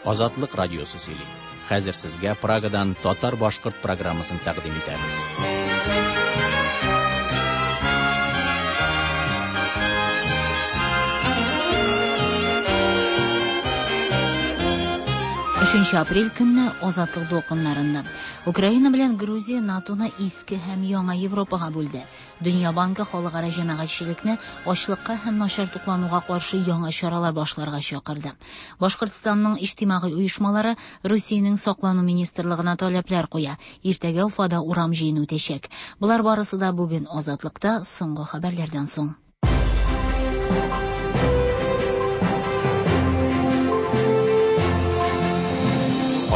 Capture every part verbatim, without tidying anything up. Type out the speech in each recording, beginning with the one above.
Азатлык радиосы сөйли. Хәзер сезгә Прагадан татар-башкорт программасын тәкъдим итәбез. Өченче апрель көнне Азатлык дулкыннарында Украина белән Грузия НАТОны иске һәм яңа Европага бүлде. Дөнья банкы халыкара җәмәгатьчелекне ачлыкка һәм начар туклануга каршы яңа чаралар башларга чакырды. Башкортстанның иҗтимагый оешмалары Русиянең саклану министрлыгына таләпләр куя. Иртәгә Уфада урам җыены үтәчәк. Болар барысы да бүген Азатлыкта соңгы хәбәрләрдән соң.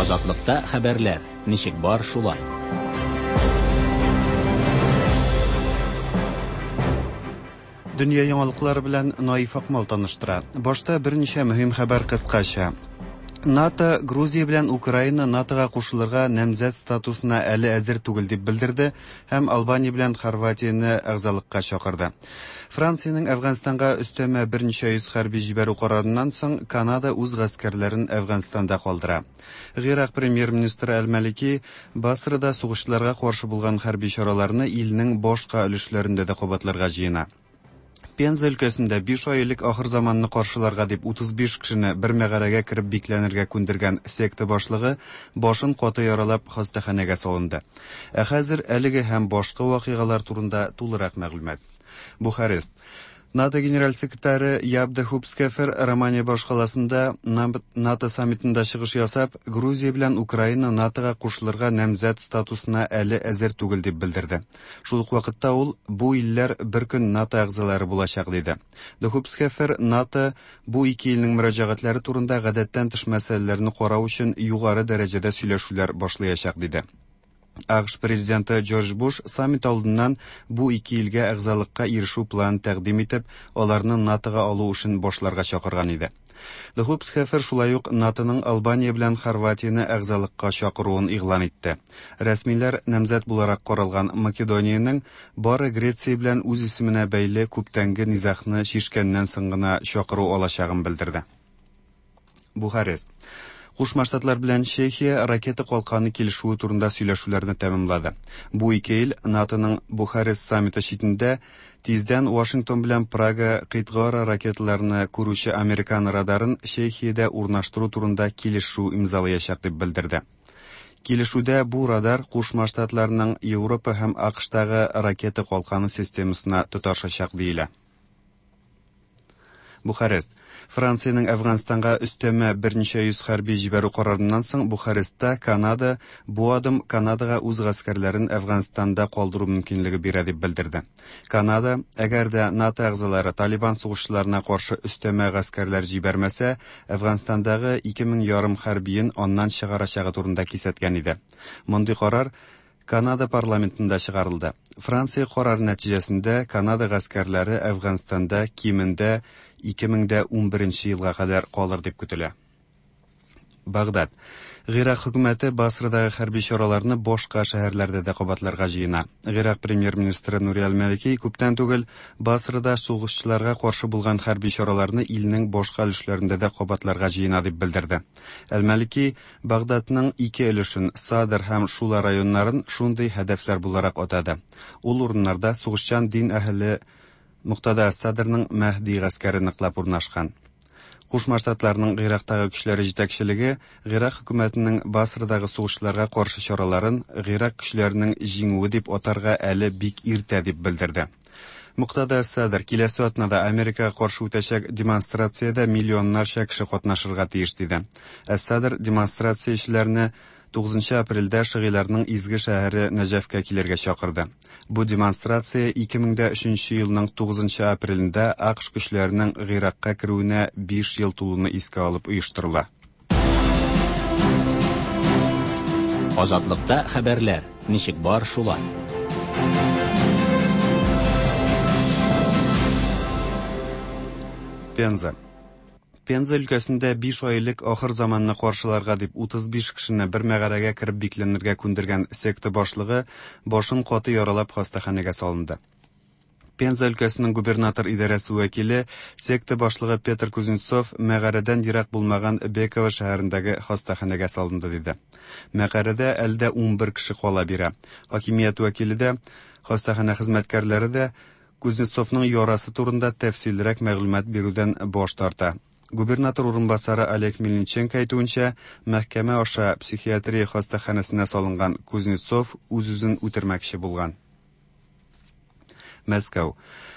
Азатлыкта хәбәрләр ничек бар шулай. Дөнья яңалыклары белән Наиф Акмал таныштыра. Башта берничә мөһим хәбәр кыскача. НАТО Грузия белән Украина НАТОга кушылырга намзәт статусына әле әзер түгел дип белдерде һәм Албания белән Хорватияне әгъзалыкка чакырды. Франциянең Әфганстанга өстәмә берничә йөз хәрби җибәрү карарыннан соң Канада үз гаскәрләрен Әфганстанда калдыра. Гыйрак премьер-министры Әл-Малики Басрада сугышчыларга каршы булган хәрби чараларны илнең башка өлешләрендә дә кабатларга җыена. Пенза өлкәсендә биш ай элек ахыр заманны каршыларга дип утыз биш кешене бер мәгарәгә кереп бикләнергә күндергән секта башлыгы башын каты яралап хастаханәгә салынды. Ә хәзер әлеге һәм башка вакыйгалар турында тулырак мәгълүмат. Бухарест. НАТО генераль секретаре Яб де Хупскефер Романия башкаласында НАТО саммитында чыгыш ясап, Грузия белән Украина НАТОга кушылырга намзәт статусына әле әзер түгел дип белдерде. Шул ук вакытта ул бу илләр бер көн НАТО әгъзалары булачак диде. Де Хупскефер НАТО бу ике илнең мөрәҗәгатьләре турында гадәттән тыш мәсьәләләрне карау өчен югары дәрәҗәдә сөйләшүләр башлаячак диде. АКШ президенты Джордж Буш саммит алдыннан бу ике илгә әгъзалыкка ирешү планын тәкъдим итеп, аларны НАТОга алу эшен башларга чакырган иде. Де Хупскефер шулай ук НАТОның Албания белән Хорватияне әгъзалыкка чакыруын игълан итте. Рәсмиләр намзәт буларак каралган Македониянең бары Греция белән үз исеменә бәйле күптәнге низагны чишкәннән соң гына чакыру алачагын белдерде. Бухарест. Кушма Штатлар белән Чехия ракета калканы килешүе турында сөйләшүләрне тәмамлады. Бу ике ил НАТОның Бухарест саммиты читендә тиздән Вашингтон белән Прага кыйтгара ракеталарны күрүче американ радарын Чехиядә урнаштыру турында килешү имзалаячак дип белдерде. Килешүдә бу радар Кушма Штатларның Европа һәм АКШтагы ракета калканы системасына тоташачак диелә. Бухарест. Франциянең Әфганстанга өстәмә берничә йөз хәрби җибәрү карарыннан соң Бухарестта Канада бу адым Канадага үз гаскәрләрен Әфганстанда калдыру мөмкинлеге бирә дип белдерде. Канада, әгәр дә НАТО әгъзалары Талибан сугышчыларына каршы өстәмә гаскәрләр җибәрмәсә, Әфганстандагы ике мең ярым хәрбиен аннан чыгарачагы турында кисәткән иде. Мондый карар Канада парламентында чыгарылды. Франция карары нәтиҗәсендә Канада гаскәрләре Әфганстанда кимендә ике мең дә унберенче елга кадәр калыр дип көтелә. Багдад. Гыйрак хөкүмәте Басрадагы хәрби чараларны башка шәһәрләрдә дә кабатларга җыена. Гыйрак премьер-министры Нури Аль-Малики күптән түгел Басрада сугышчыларга каршы булган хәрби чараларны илнең башка өлешләрендә дә кабатларга җыена дип белдерде. Аль-Малики Багдадның ике өлешен, Садр һәм Шула районнарын шундый һәдәфләр буларак атады. Ул урыннарда сугышчан дин әһеле Муктада Садрның Мәһди гаскәре ныклап урнашкан. Кушма Штатларның Гыйрактагы көчләре җитәкчелеге Гыйрак хөкүмәтенең Басрадагы сугышларга каршы чараларын Гыйрак көчләренең җиңүе дип атарга әле бик иртә дип белдерде. Муктада Садр киләсе атнада Америкага каршы үтәчәк демонстрациядә миллионнарча кеше катнашырга тиеш диде. Ә Садр демонстрациячеләрне тугызынчы апрельдә шигыйларның изге шәһәре Нәҗәфкә килергә чакырды. Бу демонстрация ике мең дә өченче елның тугызынчы апрелендә АКШ көчләренең Гыйракка керүенә биш ел тулуны искә алып оештырыла. Азатлыкта хәбәрләр ничек бар шулай. Пенза. Пенза өлкәсендә биш ай элек ахыр заманны каршыларга дип утыз биш кешене бер мәгарәгә кереп бикләнергә күндергән секта башлыгы башын каты яралап хастаханәгә салынды. Пенза өлкәсенең губернатор идарәсе вәкиле, секта башлыгы Петр Кузнецов мәгарәдән ерак булмаган Беково шәһәрендәге хастаханәгә салынды диде. Мәгарәдә әле дә унбер кеше кала бирә. Хакимият вәкиле дә, хастаханә хезмәткәрләре дә Кузнецовның ярасы турында тәфсиллерәк мәгълүмат бирүдән баш тарта. Губернатор урынбасары Олег Мельниченко әйтүенчә, мәхкәмә аша психиатрия хастаханәсенә салынган Кузнецов үз-үзен үтермәкче булган. Мәскәү.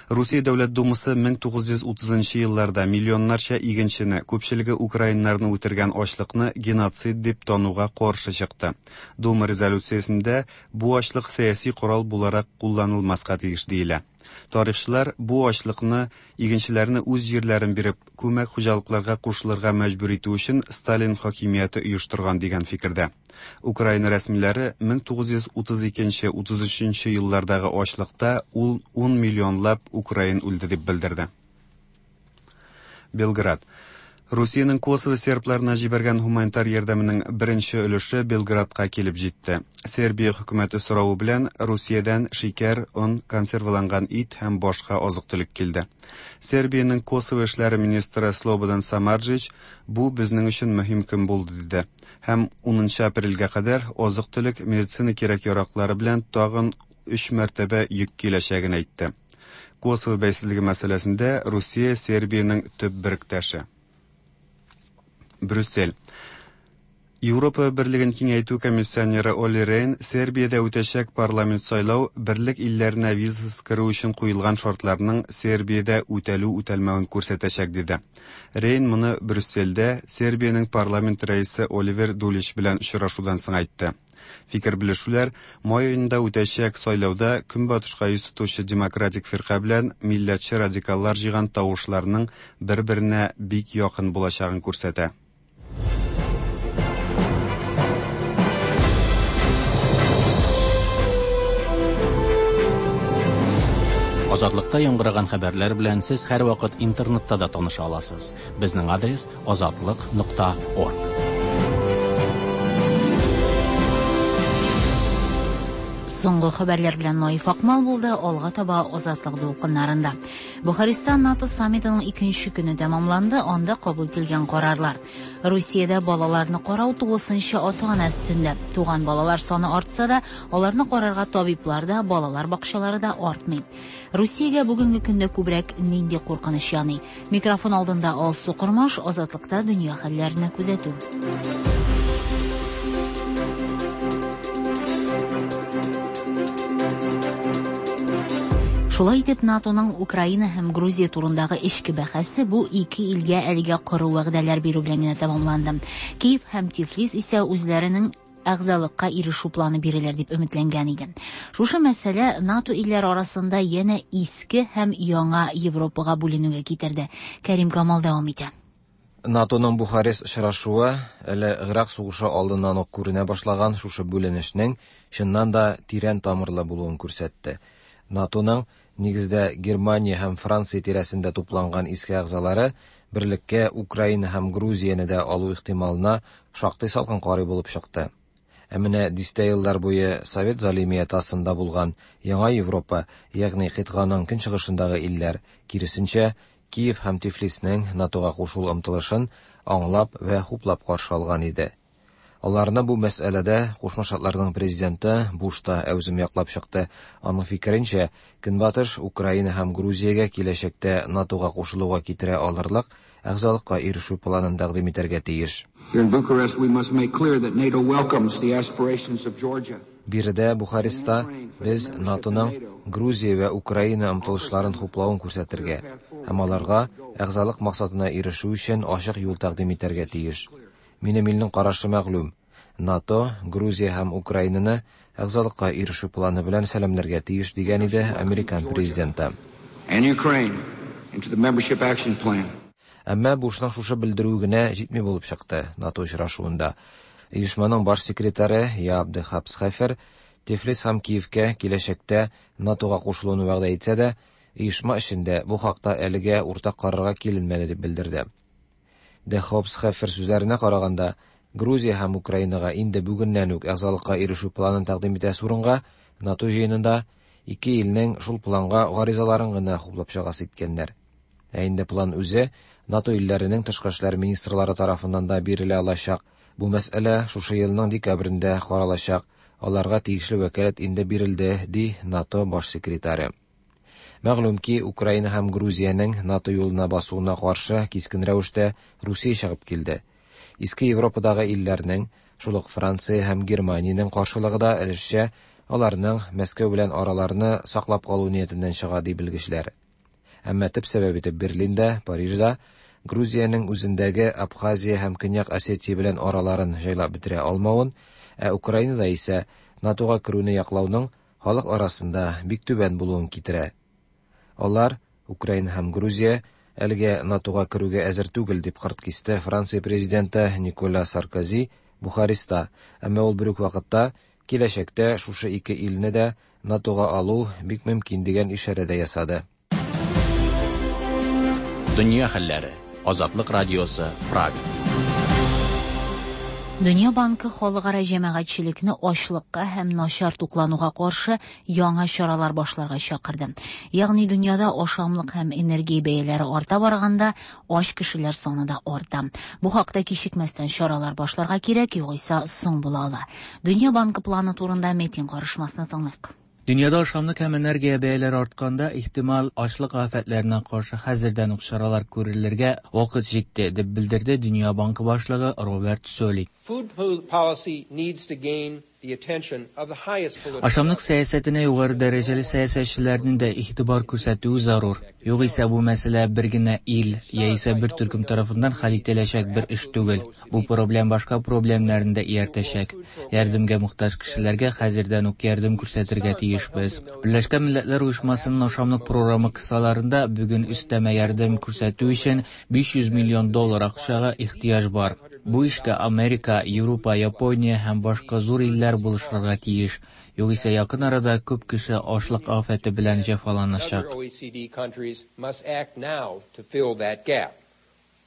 Русия Дәүләт Думасы мең тугыз йөз утызынчы елларда миллионнарча игенчене, күпчелеге украиннарны үтергән ачлыкны геноцид дип тануга каршы чыкты. Дума резолюциясендә бу ачлык сәяси корал буларак кулланылмаска тиеш диелә. Тарихчылар бу ачлыкны игенчеләрне үз җирләрен биреп, күмәк хуҗалыкларга кушылырга мәҗбүр итү өчен Сталин хакимияте оештырган дигән фикердә. Украина рәсмиләре мең тугыз йөз утыз икенче, утыз өченче еллардагы ачлыкта ул ун миллионлап украин үлде дип белдерде. Белград. Русиянең Косово сербларына җибәргән гуманитар ярдәменең беренче өлеше Белградка килеп җитте. Сербия хөкүмәте соравы белән Русиядән шикәр, он, консерваланган ит һәм башка азык-төлек килде. Сербиянең Косово эшләре министры Слободан Самарджич бу безнең өчен мөһим көн булды диде. Һәм унынчы апрельгә кадәр азык-төлек, медицина кирәк-яраклары белән тагын өч мәртәбә йөк киләчәген әйтте. Косово бәйсезлеге мәсьәләсендә Русия Сербиянең төп беректәше. Брюссель. Европа Берлеген киңәйтү комиссионеры Олли Рейн Сербиядә үтәчәк парламент сайлау берлек илләренә визасыз керү өчен куелган шартларның Сербиядә үтәлү-үтәлмәвен күрсәтәчәк диде. Рейн моны Брюссельдә Сербиянең парламент рәисе Оливер Дулич белән очрашудан соң әйтте. Фикер белешүләр май аенда үтәчәк сайлауда көнбатышка йөз тотучы демократик фирка белән милләтче радикаллар җыйган тавышларның бер-беренә бик якын булачагын күрсәтә. Азатлыкта яңгыраган хәбәрләр белән сез һәрвакыт интернетта да таныша аласыз. Безнең адрес азатлык нокта орг. Соңгы хәбәрләр белән Наиф Акмал булды, алга таба Азатлык дулкыннарында. Бухареста НАТО саммитының икенче көне тәмамланды, анда кабул ителгән карарлар. Русиядә балаларны карау тулысынча ата-ана өстендә. Туган балалар саны артса да, аларны карарга табиблар да, балалар бакчалары да артмый. Русиягә бүгенге көндә күбрәк нинди куркыныч яный? Микрофон алдында Алсу Кормаш, Азатлыкта дөнья хәлләренә күзәтү. Шулай итеп, НАТОның Украина һәм Грузия турындагы эчке бәхәсе бу ике илгә әлегә коры вәгъдәләр бирү белән генә тәмамланды. Киев һәм Тифлис исә үзләренең әгъзалыкка ирешү планы бирелер дип өметләнгән иде. Шушы мәсьәлә НАТО илләре арасында янә иске һәм яңа Европага бүленүгә китерде. Кәрим Камал дәвам итә. НАТОның Бухарест очрашуы әле Ирак сугышы алдыннан ук күренә башлаган шушы бүленешнең чыннан да тирән тамырлы булуын күрсәтте. НАТОның нигездә Германия һәм Франция тирәсендә тупланган иске әгъзалары берлеккә Украина һәм Грузияне дә алу ихтималына шактый салкын карый булып чыкты. Ә менә дистә еллар буе Совет залимияте астында булган Яңа Европа, ягъни кыйтганың көнчыгышындагы илләр, киресенчә, Киев һәм Тифлиснең НАТОга кушылу омтылышын аңлап вә хуплап каршы алган иде. Аларны бу мәсьәләдә Кушма Штатларның президенты Буш та әүзем яклап чыкты. Аның фикеренчә, Көнбатыш Украина һәм Грузиягә киләчәктә НАТОга кушылуга китерә алырлык әгъзалыкка ирешү планын тәкъдим итәргә тиеш. Here in Bucharest, we must make clear that NATO welcomes the aspirations of Georgia. Биредә Бухареста без НАТОның Грузия вә Украина омтылышларын хуплавын күрсәтергә һәм аларга әгъзалык максатына ирешү өчен ачык юл тәкъдим итәргә тиеш. Минем илнең карашы мәгълүм. НАТО Грузия һәм Украинаны әгъзалыкка ирешү планы белән сәламләргә тиеш дигән иде американ президенты. And Ukraine into the membership action plan. Әмма Бушның шушы белдерүе генә җитми булып чыкты НАТО очрашуында. Оешманың баш секретаре Яап де Хапсхефер Тифлис һәм Киевкә киләчәктә НАТОга кушылуны вәгъдә итсә дә, оешма эчендә бу хакта әлегә уртак карарга киленмәде дип белдерде. Де Хопсхефер сүзләренә караганда, Грузия һәм Украинага инде бүгеннән үк әгъзалыкка ирешү планын тәкъдим итәсе урынга НАТО җыенында Ике илнең шул планга гаризаларын гына хуплап чыгасы иткәннәр. Ә инде план үзе НАТО илләренең тышкы эшләр министрлары тарафыннан да бирелә алачак. Бу мәсьәлә шушы елның декабрендә каралачак. Аларга тиешле вәкаләт инде бирелде, ди НАТО баш секретаре. Мәгълүм ки, Украина һәм Грузиянең НАТО юлына басуына каршы кискен рәвештә Русия чыгып килде. Иске Европадагы илләрнең, шул ук Франция һәм Германиянең каршылыгы да өлешчә аларның Мәскәү белән араларны саклап калу ниятеннән чыга, ди белгечләр. Әмма төп сәбәп итеп Берлинда, Парижда Грузиянең үзендәге Абхазия һәм Көньяк Осетия белән араларын җайлап бетерә алмавын, ә Украинада исә НАТОга керүне яклауның халык арасында бик түбән булуын китерә. Алар, Украина һәм Грузия, әлегә НАТОга керүгә әзер түгел, дип кырт кисте Франция президенты Николя Саркози Бухареста. Әмма ул бер үк вакытта киләчәктә шушы ике илне дә НАТОга алу бик мөмкин дигән ишарә дә ясады. Дөнья хәлләре. Азатлык радиосы, Прага. Дөнья банкы халыкара җәмәгатьчелекне ачлыкка һәм начар туклануга каршы яңа чаралар башларга чакырды. Ягъни дөньяда ашамлык һәм энергия бәяләре арта барганда, ач кешеләр саны да арта. Бу хакта кичекмәстән чаралар башларга кирәк, югыйсә соң була ала. Дөнья банкы планы турында Метин карышмасны тыңлыйк. Дөньяда ашамлык һәм энергия бәяләре артканда, ихтимал ачлык афәтләренә каршы хәзердән үк чаралар күрелергә вакыт җитте, дип белдерде Дөнья банкы башлыгы Роберт Солик. Food policy needs to gain the attention of the highest political Ашамлык сәясәтенә югары дәрәҗәле сәясәтчеләрнең дә игътибар күрсәтүе зарур. Югыйсә бу мәсьәлә бер генә ил яисә бер төркем тарафыннан хәл ителәчәк бер эш түгел. Бу проблем башка проблемнарны да ияртәчәк. Ярдәмгә мохтаҗ кешеләргә хәзердән үк ярдәм күрсәтергә тиешбез. Берләшкән Милләтләр Оешмасының ашамлык программы кысаларында бүген өстәмә ярдәм күрсәтү өчен биш йөз миллион доллар акчага ихтыяҗ бар. Бу эшкә Америка, Европа, Япония һәм башка зур илләр булышырга тиеш. Югыйсә якын арада күп кеше ачлык афәте белән җәфаланачак. Other O E C D countries must act now to fill that gap,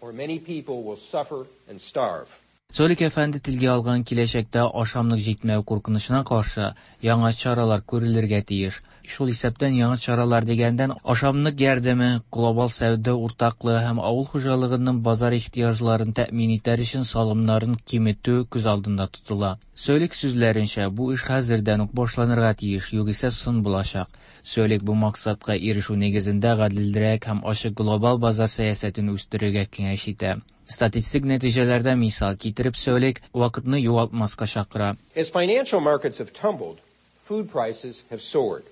or many people will suffer and starve. Солик әфәнде телгә алган киләчәктә ашамлык җитмәү куркынычына каршы яңа чаралар күрелергә тиеш. Шул исәптән яңа чаралар дигәндән ашамлык ярдәме, глобал сәүдә уртаклыгы һәм авыл хуҗалыгының базар ихтыяҗларын тәэмин итәр өчен салымнарын киметү күз алдында тотыла. Солик сүзләренчә, бу эш хәзердән үк башланырга тиеш, югыйсә соң булачак. Солик бу максатка ирешү нигезендә гаделрәк һәм ачык глобал базар сәясәтен үстерергә киңәш итә. Статистик нәтиҗәләрдә мисал китереп Солик вакытны югалтмаска чакыра. As financial markets have tumbled, food prices have soared.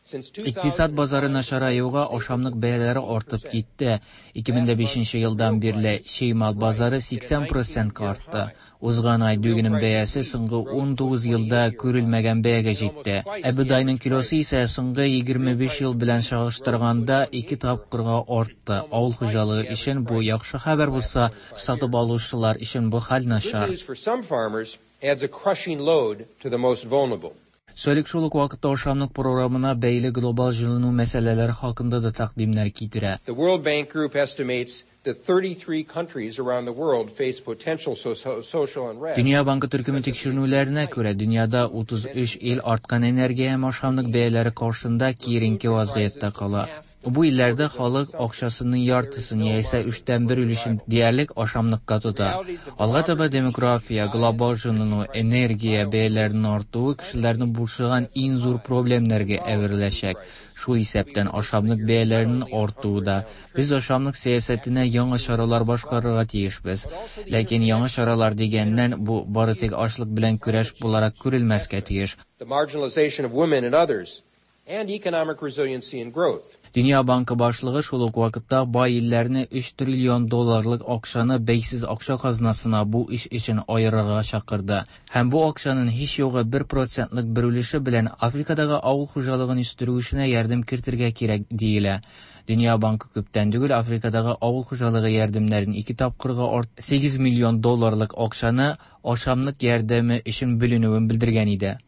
Since two Икътисад базары начараюга ашамлык бәяләре артып китте. Ике мең дә бишенче елдан бирле чимал базары сиксән процентка артты. Узган ай дөгенең бәясе соңгы ун тугыз елда күрелмәгән бәягә җитте. Ә бодайның килосы исә соңгы егерме биш ел белән чагыштырганда ике тапкырга артты. Авыл хуҗалыгы өчен бу яхшы хәбәр булса, сатып алучылар өчен бу хәл начар. Good news for some farmers adds a crushing load to the most vulnerable. Солик шул ук вакытта ашамлык програмына бәйле глобал җылыну мәсьәләләре хакында да тәкъдимнәр китерә. The World Bank Group estimates that thirty-three countries around the world face potential so-, so-, social unrest. Дөнья банкы төркеме тикшеренүләренә күрә, дөньяда утыз өч ил арткан энергия һәм ашамлык бәяләре каршында киеренке вазгыятьтә кала. Бу илләрдә халык акчасының яртысын яисә өчтән бер өлешен диярлек ашамлыкка тота. Алга таба демография, глобал җылыну, энергия бәяләренең артуы кешеләрне борчыган иң зур проблемнәргә әвереләчәк. Шул исәптән ашамлык бәяләренең артуы да. Без ашамлык сәясәтенә яңа чаралар башкарырга тиешбез. Ләкин яңа чаралар дигәннән бу бары тик ачлык белән көрәш буларак күрелмәскә тиеш. The marginalization of women and others, and economic resiliency and growth. Дөнья банкы башлыгы шул ук вакытта бай илләрне өч триллион долларлык акчаны бәйсез акча казнасына бу эш өчен аерырга чакырды. Һәм бу акчаның һич югы бер процентлык бер өлеше белән Африкадагы авыл хуҗалыгын үстерү эшенә ярдәм кертергә кирәк диелә. Дөнья банкы күптән түгел Африкадагы авыл хуҗалыгы ярдәмнәрен ике тапкырга арт сигез миллион долларлык акчаны ашамлык ярдәме өчен бүленүен белдергән иде.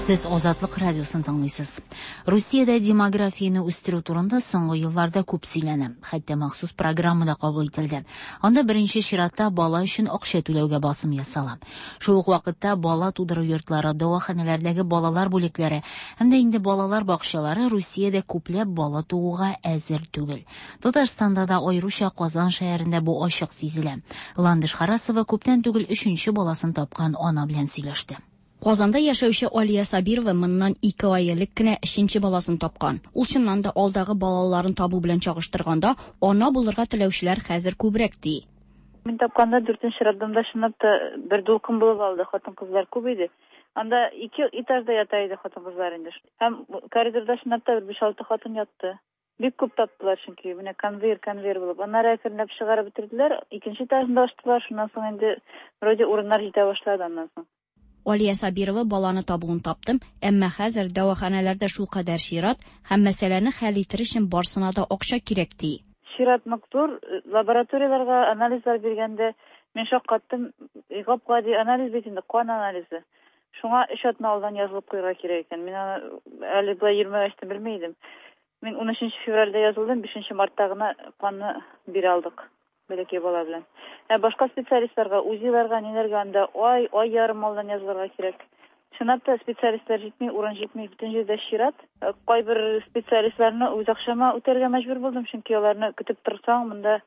Сез Азатлык радиосын тыңлыйсыз. Русиядә демографияне үстерү турында соңгы елларда күп сөйләнә. Хәтта махсус программа да кабул ителде. Анда беренче чиратта бала өчен акча түләүгә басым ясала. Шул ук вакытта бала тудыру йортлары, дәваханәләрдәге балалар бүлекләре һәм дә инде балалар бакчалары Русиядә күпләп бала тууга әзер түгел. Татарстанда да, аеруча Казан шәһәрендә бу ачык сизелә. Ландыш Харасова күптән түгел өченче баласын тапкан ана белән сөйләште. Казанда яшәүче Алия Сабирова моннан ике ай элек кенә өченче баласын тапкан. Ул чыннан да алдагы балаларын табу белән чагыштырганда, ана булырга теләүчеләр хәзер күбрәк ди. Мин тапканда дүртенче роддомда чынлап та бер дулкын булып алды, хатын-кызлар күп иде. Анда ике этажда ята иде хатын-кызлар инде. Һәм коридорда чынлап та бер биш-алты хатын ятты. Бик күп таптылар, чөнки менә конвейер конвейер булып. Аннары әкренләп чыгарып бетерделәр, икенче этажында ачтылар, шуннан соң инде вроде урыннар җитә башлады аннан соң. Алия Сабирова баланы табуын таптым, әмма хәзер дәваханәләрдә шулкадәр чират һәм мәсьәләне хәл итер өчен барсына да акча кирәк ди. Чират нык зур, лабораторияләргә анализлар биргәндә мин шаккаттым, гап-гади анализ бит инде, кан анализы. Шуңа өч атна алдан язылып куярга кирәк икән. Мин аны әле болай йөрмәгәч тә белми идем. Мин унөченче февральдә язылдым, бишенче мартта гына канны бирә алдык. Бәләкәй бала белән. Ә башка специалистларга, УЗИларга, ниләргә анда ай, ай ярым алдан язылырга кирәк. Чынлап та специалистлар җитми, урын җитми, бөтен җирдә чират. Кайбер специалистларны үз акчама үтәргә мәҗбүр булдым, чөнки аларны көтеп торсаң, монда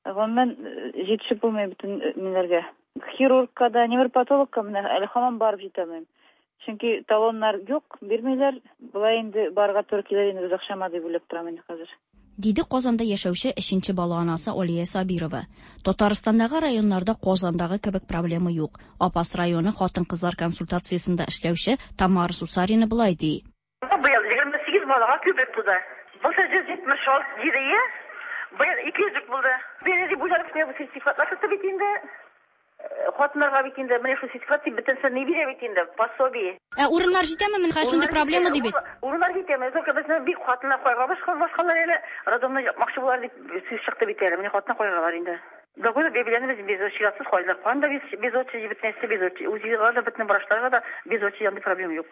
гомумән җитешеп булмый бөтен ниләргә. Хирургка да, невропатологка менә әле һаман барып җитә алмыйм. Чөнки талоннар юк, бирмиләр. Болай инде барырга туры килер инде, үз акчама дип уйлап торам инде хәзер. Диде Казанда яшәүче өченче бала анасы Алия Сабирова. Татарстандагы районнарда Казандагы кебек проблема юк. Апас районы хатын-кызлар консультациясендә эшләүче Тамара Сусарина болай ди. Быел егерме сигез балага күбрәк туды. Былтыр йөз җитмеш алты иде, быел ике йөз булды. Бер дип уйлап, бу сертификатлар чыкты бит инде. Хатыннарга бит инде менә шул сертификат дип бөтенесе ни бирә бит инде, пособие. Ә урыннар җитәме? Менә хәзер шундый проблема ди бит. Урыннар җитәме? Только безне бик хатыннар куйга башка башкалар әле роддомны япмакчы булар дип сүз чыкты бит әле. Менә хатыннар куйгалар инде. Договор белән без чиратсыз куйдык. Канда без без очередь бетнесе без очередь. УЗИга да бөтен врачларга да без очередь андый проблема юк.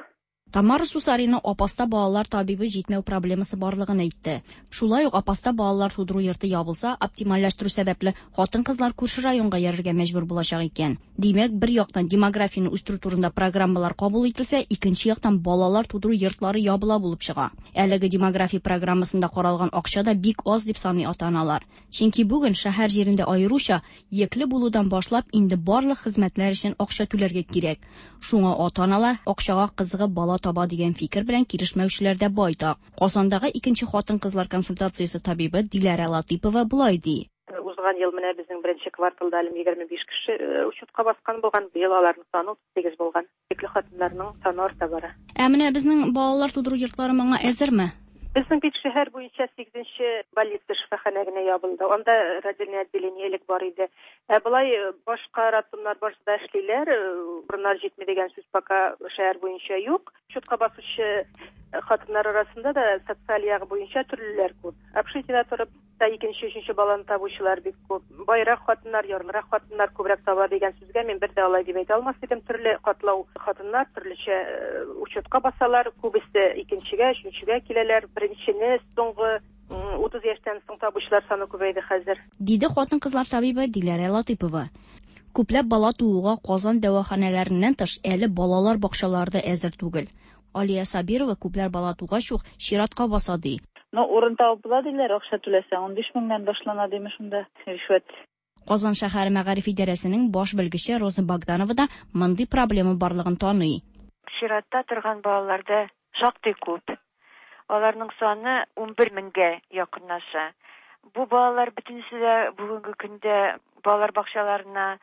Тамара Сусарина Апаста балалар табибы җитмәү проблемасы барлыгын әйтте. Шулай ук Апаста балалар тудыру йорты ябылса, оптимальләштерү сәбәпле хатын-кызлар күрше районга йөрергә мәҗбүр булачак икән. Димәк, бер яктан демографияне үстерү турында программалар кабул ителсә, икенче яктан балалар тудыру йортлары ябыла булып чыга. Әлеге демография программасында каралган акча да бик аз дип саный ата-аналар. Чөнки бүген шәһәр җирендә аеруча йөкле булудан башлап инде барлык хезмәтләр өчен акча түләргә кирәк. Шуңа ата-аналар акчага кызыгып бала таба дигән фикер белән килешмәүчеләр дә байтак. Казандагы икенче хатын-кызлар консультациясе табибы Диләрә Латыпова болай ди. Узган ел менә безнең беренче кварталда әле егерме биш кеше учетка баскан булган, быел аларның саны утыз сигез булган. Йөкле хатыннарның саны арта бара. Ә менә безнең балалар тудыру йортлары моңа әзерме? Безнең бит шәһәр буенча сигезенче больница шифаханә генә ябылды. Анда родильное отделение элек бар иде. Ә болай башка роддомнар барысы да эшлиләр, урыннар җитми дигән сүз пока шәһәр буенча юк. Учетка басучы хатыннар арасында да социаль ягы буенча төрлеләр күп. Общежитиедә торып та икенче, өченче баланы табучылар бик күп. Байрак хатыннар, ярлырак хатыннар күбрәк таба дигән сүзгә мин бер дә алай дип әйтә алмас идем. Төрле катлау хатыннар төрлечә учетка басалар, күбесе икенчегә, өченчегә киләләр. Беренчене соңгы утыз яшьтән соң табучылар саны күбәйде хәзер. Диде хатын-кызлар табибы Диләрә Латыпова. Күпләп бала тууга Казан дәваханәләреннән тыш әле балалар бакчалары да әзер түгел. Алия Сабирова күпләр бала тугач ук чиратка баса ди. Но урын табып була диләр, акча түләсәң, унбиш меңнән башлана димеш шунда ришвәт. Казан шәһәре мәгариф идарәсенең баш белгече Роза Богданова да мондый проблема барлыгын таный. Чиратта торган балаларда шактый күп. Аларның саны унбер меңгә якынлаша. Бу балалар бөтенесе дә бүгенге көндә балалар бакчаларына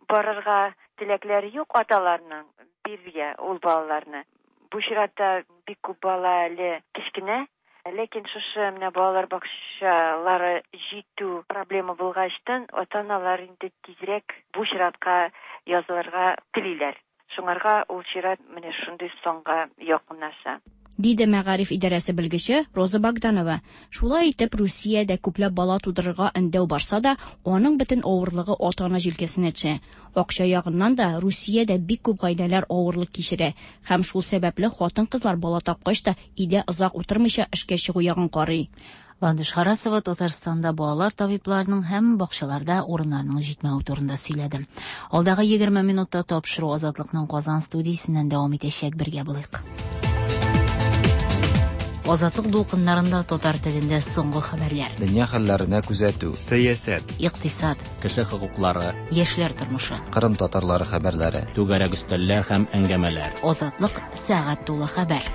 барырга теләкләре юк аталарның, биргә ул балаларны. Бу чиратта бик күп бала әле кечкенә, ләкин шушы менә балалар бакчалары җитү проблема булгачтан ата-аналар инде тизрәк бу чиратка язылырга телиләр. Шуңарга ул чират менә шундый санга якынлаша. Диде мәгариф идарәсе белгече Роза Богданова. Шулай итеп, Русиядә күпләп бала тудырырга өндәү барса да, аның бөтен авырлыгы ата-ана җилкәсенә төшә. Акча ягыннан да Русиядә бик күп гаиләләр авырлык кичерә һәм шул сәбәпле хатын-кызлар бала тапкач та өйдә озак утырмыйча эшкә чыгу ягын карый. Ландыш Харасова Татарстанда балалар табибларының һәм бакчаларда урыннарның җитмәве турында сөйләде. Алдагы егерме минутта тапшыру Азатлыкның Казан студиясеннән дәвам итәчәк, бергә булыйк. Азатлык дулкыннарында татар телендә соңгы хәбәрләр. Дөнья хәлләренә күзәтү. Сәясәт. Икътисад. Кеше хокуклары. Яшьләр тормышы. Кырым татарлары хәбәрләре. Түгәрәк өстәлләр һәм әңгәмәләр. Азатлык сәгать тулы хәбәр.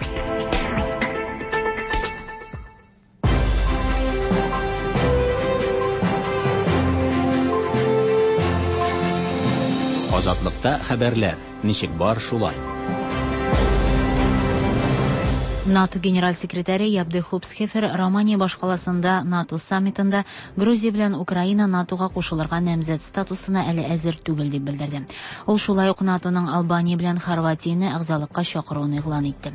Азатлыкта хәбәрләр. Ничек бар шулай. НАТО генераль секретаре Яп де Хуп Схефер Романия башкаласында НАТО саммитында Грузия белән Украина НАТОга кушылырга намзәт статусына әле әзер түгел дип белдерде. Ул шулай ук НАТОның Албания белән Хорватияне әгъзалыкка чакыруын игълан итте.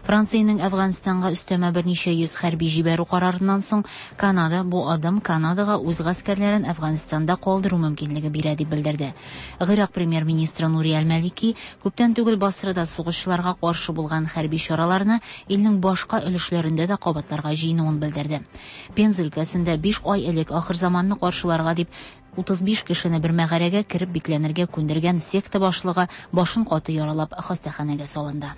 Франциянең Әфганстанга өстәмә берничә йөз хәрби җибәрү карарыннан соң Канада бу адым Канадага үз гаскәрләрен Әфганстанда калдыру мөмкинлеге бирә дип белдерде. Гыйрак премьер-министры Нури Аль-Малики күптән түгел Басрада сугышчыларга каршы булган хәрби чараларны илнең башка өлешләрендә дә кабатларга җыенуын белдерде. Пенза өлкәсендә биш ай элек ахыр заманны каршыларга дип утыз биш кешене бер мәгарәгә кереп бикләнергә күндергән секта башлыгы башын каты яралап хастаханәгә салынды.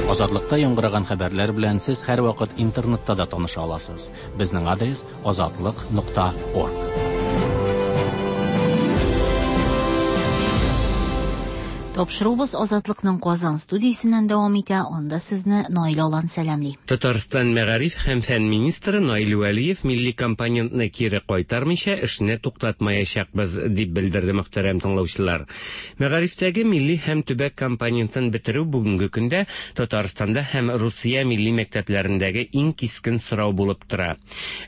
Азатлыкта яңгыраган хәбәрләр белән сез һәрвакыт интернетта да таныша аласыз. Безнең адрес азатлык нокта орг. Тапшыруыбыз Азатлыкның Казан студиясеннән дәвам итә. Анда сезне Наил Алан сәламли. Татарстан мәгариф һәм фән министры Наил Вәлиев милли компонентны кире кайтармыйча эшне туктатмаячакбыз дип белдерде мөхтәрәм тыңлаучылар. Мәгарифтәге милли һәм төбәк компонентын бетерү бүгенге көндә Татарстанда һәм Русия милли мәктәпләрендәге иң кискен сорау булып тора.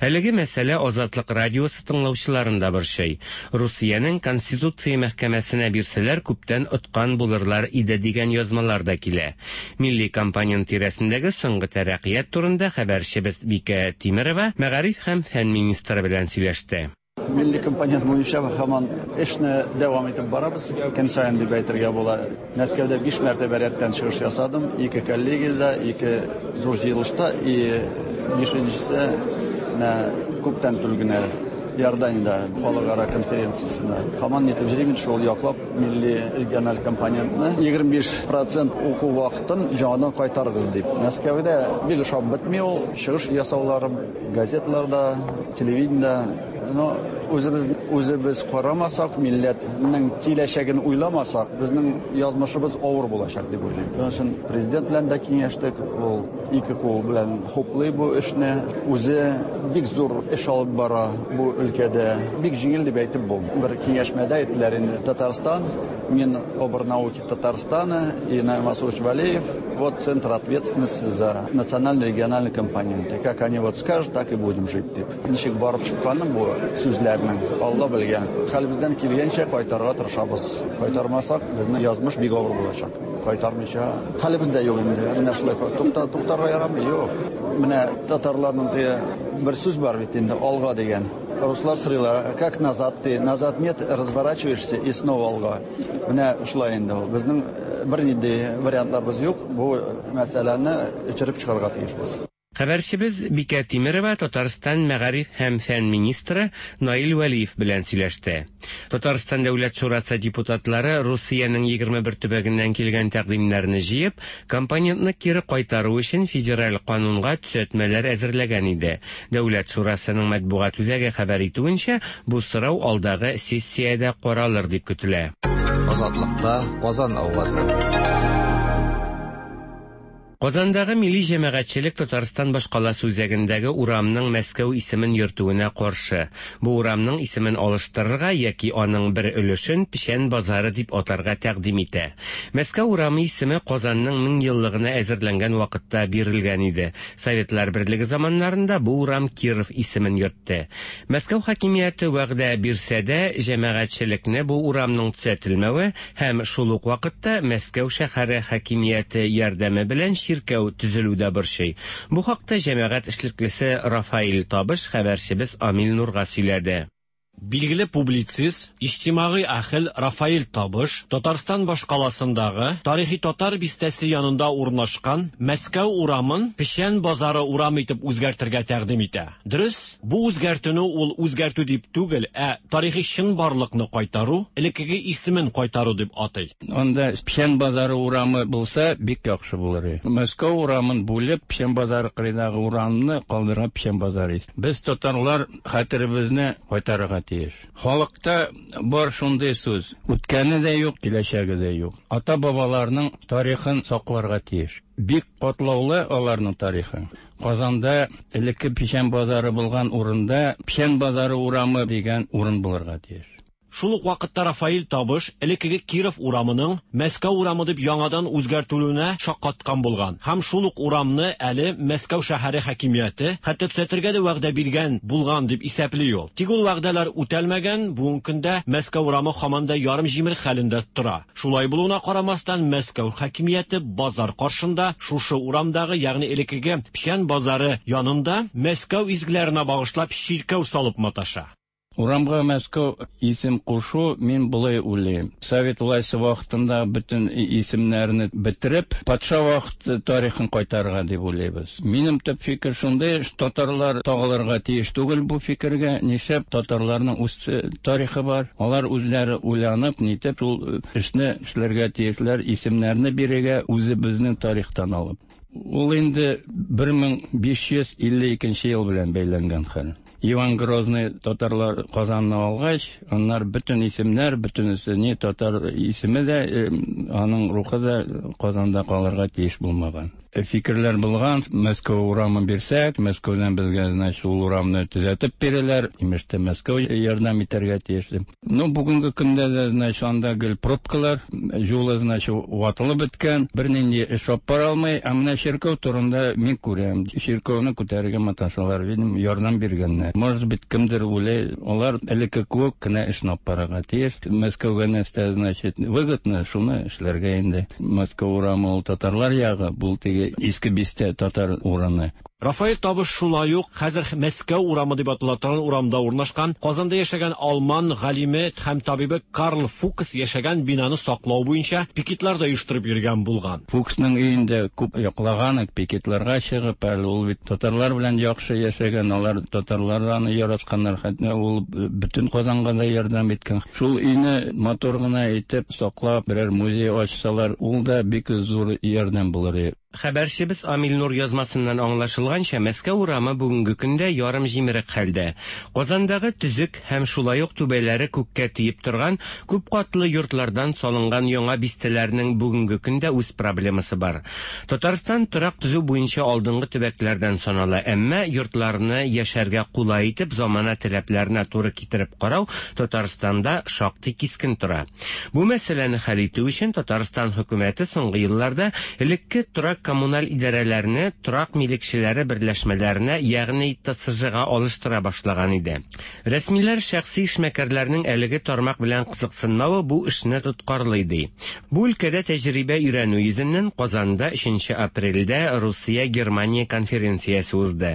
Әлеге мәсьәлә Азатлык радиосы тыңлаучыларын да борчый. Русиянең Конституция мәхкәмәсенә бирсәләр күптән откан булырлар иде дигән язмалар да килә. Милли компонент тирәсендәге соңгы тәрәккыят турында хәбәрчебез Бикә Тимерова мәгариф һәм фән министры белән сөйләште. Милли компонент буенча һаман эшне дәвам итеп барабыз. Көн саен дип әйтергә була. Мәскәүдә биш мәртәбә рәттән чыгыш ясадым. Ике коллегиядә, ике зур җыелышта и бишенчесе менә күптән түгел генә Иорданиядә халыкара конференциясендә. Һаман нитеп йөрим, шул яклап милли региональ компонентны егерме биш процент уку вакытын яңадан кайтарыгыз дип. Мәскәүдә бик ошап бетми ул чыгыш ясауларым газеталарда, телевидениедә. Но үзебез үзебез карамасак, милләтнең киләчәген уйламасак, безнең язмышыбыз авыр булачак дип уйлыйм. Шуның өчен президент белән дә киңәштек, ул ике кул белән хуплый бу эшне. Үзе бик зур эш алып бара бу өлкәдә. Бик җиңел дип әйтеп булмый. Бер киңәшмәдә әйттеләр инде Татарстан, Минобрнауки Татарстана и Наиль Масурович Валеев, вот центр ответственности за национально-региональные компоненты. Как они вот скажут, так и будем жить дип. Ничек барып чыкканын бу сүзләрнең Алла белгән. Хәлебездән килгәнчә кайтарырга тырышабыз. Кайтармасак, безнең язмыш бик авыр булачак. Кайтармыйча хәлебездә юк инде. Менә шулай тукта туктарга ярамый, юк. Менә татарларның теге бер сүз бар бит инде, алга дигән. Руслар сорыйлар, как назад ты? Назад нет, разворачиваешься и снова алга. Менә шулай инде ул. Безнең бернинди вариантларыбыз юк. Бу мәсьәләне эчереп чыгарга тиешбез. Хәбәрчебез Бикә Тимерова Татарстан мәгариф һәм фән министры Наил Вәлиев белән сөйләште. Татарстан Дәүләт Шурасы депутатлары Русиянең егерме бер төбәгеннән килгән тәкъдимнәрне җыеп, компонентны кире кайтару өчен федераль канунга төзәтмәләр әзерләгән иде. Дәүләт Шурасының матбугат үзәге хәбәр итүенчә, бу сорау алдагы сессиядә каралыр дип көтелә. Азатлыкта Казан авазы. Казандагы милли җәмәгатьчелек Татарстан башкаласы үзәгендәге урамның Мәскәү исемен йөртүенә каршы. Бу урамның исемен алыштырырга яки аның бер өлешен Печән базары дип атарга тәкъдим итә. Мәскәү урамы исеме Казанның мең еллыгына әзерләнгән вакытта бирелгән иде. Советлар Берлеге заманнарында бу урам Киров исемен йөртте. Мәскәү хакимияте вәгъдә бирсә дә, җәмәгатьчелекне бу урамның төзәтелмәве һәм шул ук вакытта Мәскәү шәһәре хакимияте ярдәме белән чиркәү төзелү дә борчый. Бу хакта җәмәгать эшлеклесе Рафаэль Табыш хәбәрчебез Амил Нурга сөйләде. Билгеле публицист, иҗтимагый әһел Рафаэль Табыш Татарстан башкаласындагы тарихи татар бистәсе янында урнашкан Мәскәү урамын Печән базары урамы итеп үзгәртергә тәкъдим итә. Дөрес, бу үзгәртүне ул үзгәртү дип түгел, ә тарихи чынбарлыкны кайтару, элеккеге исемен кайтару дип атый. Анда Печән базары урамы булса бик яхшы булыр иде. Мәскәү урамын бүлеп, Печән базары кырыйдагы урамны калдырып Печән базары. Без татарлар хәтеребезне кайтарырга тиеш. Халыкта бар шундый сүз: үткәне дә юк, киләчәге дә юк. Ата-бабаларның тарихын сакларга тиеш. Бик катлаулы аларның тарихы. Казанда элекке Печән базары булган урында Печән базары урамы дигән урын булырга тиеш. Шул ук вакытта Рафаэль Табыш элеккеге Киров урамының Мәскәү урамы дип яңадан үзгәртелүенә шаккаткан булган. Һәм шул ук урамны әле Мәскәү шәһәре хакимияте хәтта төзәтергә дә вәгъдә биргән булган дип исәпли ул. Тик ул вәгъдәләр үтәлмәгән, бүгенге көндә Мәскәү урамы һаман да ярым җимерек хәлендә тора. Шулай булуына карамастан, Мәскәү хакимияте базар каршында шушы урамдагы, ягъни элеккеге Печән базары янында Мәскәү изгеләренә багышлап чиркәү салып маташа. Урамга Мәскәү исем кушу мин болай уйлыйм. Совет власте вакытында бөтен исемнәрне бетереп, патша вакыты тарихын кайтарырга дип уйлыйбыз. Минем төп фикер шундый, татарлар тагылырга тиеш түгел бу фикергә. Нишләп татарларның үз тарихы бар? Алар үзләре уйланып, нитеп шул эшне эшләргә тиешләр, исемнәрне бирергә үзебезнең тарихтан алып. Ул инде бер мең биш йөз илле икенче ел белән бәйләнгән хәл. Иван Грозный татарлар Казанны алгач, аннар бөтен исемнәр, бөтенесе не татар исеме дә, аның рухы да Казанда калырга тиеш булмаган. Фикерләр булган, Мәскәү урамын бирсәк, Мәскәүдән безгә, значит, ул урамны төзәтеп бирәләр, имештә Мәскәү ярдәм итәргә тиеш. Ну, бүгенге көндә дә, значит, анда гел пробкалар, юлы, значит, ватылып беткән, бернинди эш алып бара алмый. Ә менә чиркәү турында мин күрәм, чиркәүне күтәрергә маташалар, видим, ярдәм биргәннәр. Может быть, кемдер уйлый, алар элекке кебек кенә эшне алып барырга тиеш. Мәскәүгә нәрсә, значит, выгодно, шуны эшләргә инде. Мәскәү урамы ул татарлар ягы, бу теге иске бистә татар урыны. Рафаэль Табыш шулай ук хәзер Мәскәү урамы дип атала торган урамда урнашкан Казанда яшәгән алман галиме һәм табибы Карл Фукс яшәгән бинаны саклау буенча пикетлар да оештырып йөргән булган. Фуксның өендә күп яклаган, пикетларга чыгып, әле ул бит татарлар белән яхшы яшәгән, алар татарлар аны яратканнар, хәтта ул бөтен Казанга да ярдәм иткән. Шул өйне матур гына итеп саклап, берәр музей ачсалар, ул да бик зур ярдәм булыр иде. Хәбәрчебез Амил Нур язмасыннан аңлашылганча, Мәскәү урамы бүгенге көндә ярым җимерек хәлдә. Казандагы төзек һәм шулай ук түбәләре күккә тиеп торган күп катлы йортлардан салынган яңа бистәләрнең бүгенге көндә үз проблемасы бар. Татарстан торак төзү буенча алдынгы төбәкләрдән санала, әмма йортларны яшәргә кулай итеп замана таләпләренә туры китереп карау Татарстанда шактый кискен тора. Бу мәсьәләне хәл итү өчен Татарстан хөкүмәте соңгы елларда элекке торак коммуналь идарәләрне торак милекчеләре берләшмәләренә, ягъни Т С Ж-га алыштыра башлаган иде. Рәсмиләр шәхси эшмәкәрләрнең әлеге тармак белән кызыксынмавы бу эшне тоткарлый ди. Бу өлкәдә тәҗрибә өйрәнү йөзеннән Казанда өченче апрельдә Русия-Германия конференциясе узды.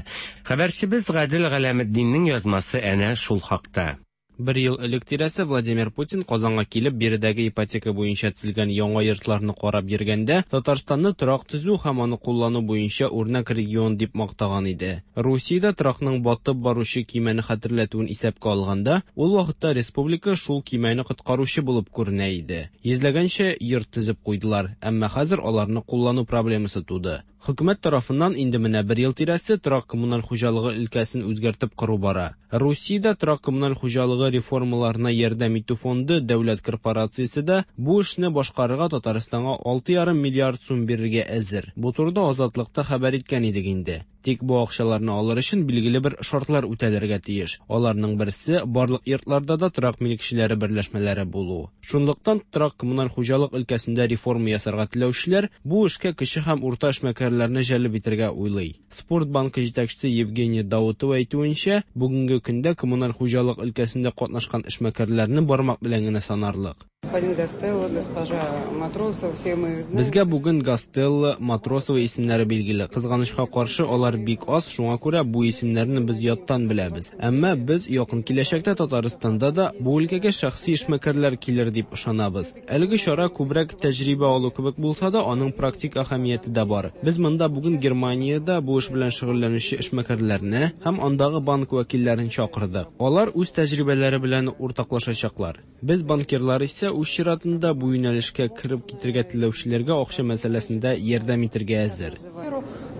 Хәбәрчебез Гадел Галәметдиннең язмасы әнә шул хакта. Бер ел элек тирәсе Владимир Путин Казанга килеп биредәге ипотека буенча төзелгән яңа йортларны карап йөргәндә Татарстанны торак төзү һәм аны куллану буенча үрнәк регион дип мактаган иде. Русиядә торакның батып баручы кимәне хәтерләтүен исәпкә алганда, ул вакытта республика шул кимәне коткаручы булып күренә иде. Йөзләгәнчә йорт төзеп куйдылар, әмма хәзер аларны куллану проблемасы туды. Хөкүмәт тарафыннан инде менә бер ел тирәсе торак-коммуналь хуҗалыгы өлкәсен үзгәртеп кору бара. Русиядә торак-коммуналь хуҗалыгы реформаларына ярдәм итү фонды дәүләт корпорациясе дә бу эшне башкарырга Татарстанга алты ярым миллиард сум бирергә әзер. Бу турыда Азатлыкта хәбәр иткән идек инде. Тик бу акчаларны алыр өчен билгеле бер шартлар үтәлергә тиеш. Аларның берсе барлык йортларда да торак милекчеләре берләшмәләре булу. Шунлыктан торак-коммуналь хуҗалык өлкәсендә реформа ясарга теләүчеләр бу эшкә кече һәм урта эшмәкәрләрне җәлеп итәргә уйлый. Спорт банкы җитәкчесе Евгения Даутова әйтүенчә, бүгенге көндә коммуналь хуҗалык өлкәсендә катнашкан эшмәкәрләрне бармак белән генә санарлык. Господин Гастелло, госпожа Матросова, все мы их знаем. Безгә бүген Гастелло, Матросова исемнәре билгеле. Кызганычка каршы, алар бик аз, шуңа күрә бу исемнәрне без яттан беләбез. Әмма без якын киләчәктә Татарстанда да бу өлкәгә шәхси эшмәкәрләр килер дип ышанабыз. Әлеге чара күбрәк тәҗрибә алу кебек булса да, аның практик әһәмияте дә бар. Без монда бүген Германиядә бу эш белән шөгыльләнүче эшмәкәрләрне һәм андагы банк вәкилләрен чакырдык. Алар үз тәҗрибәләре белән уртаклашачаклар. Без банкирлар исә үз чиратында бу юнәлешкә кереп китергә теләүчеләргә акча мәсьәләсендә ярдәм итәргә әзер.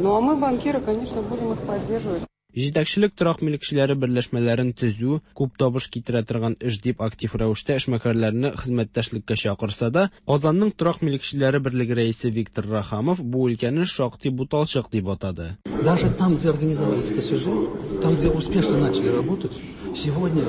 Ну а мы, банкиры, конечно, будем их поддерживать. Җитәкчелек торак милекчеләре берләшмәләрен төзү күп табыш китерә торган эш дип актив рәвештә эшмәкәрләрне хезмәттәшлеккә чакырса да, Казанның торак милекчеләре берлеге рәисе Виктор Рахамов бу өлкәне шактый буталчык дип атады. Даже там, где организовались ТСЖ, там, где успешно начали работать, сегодня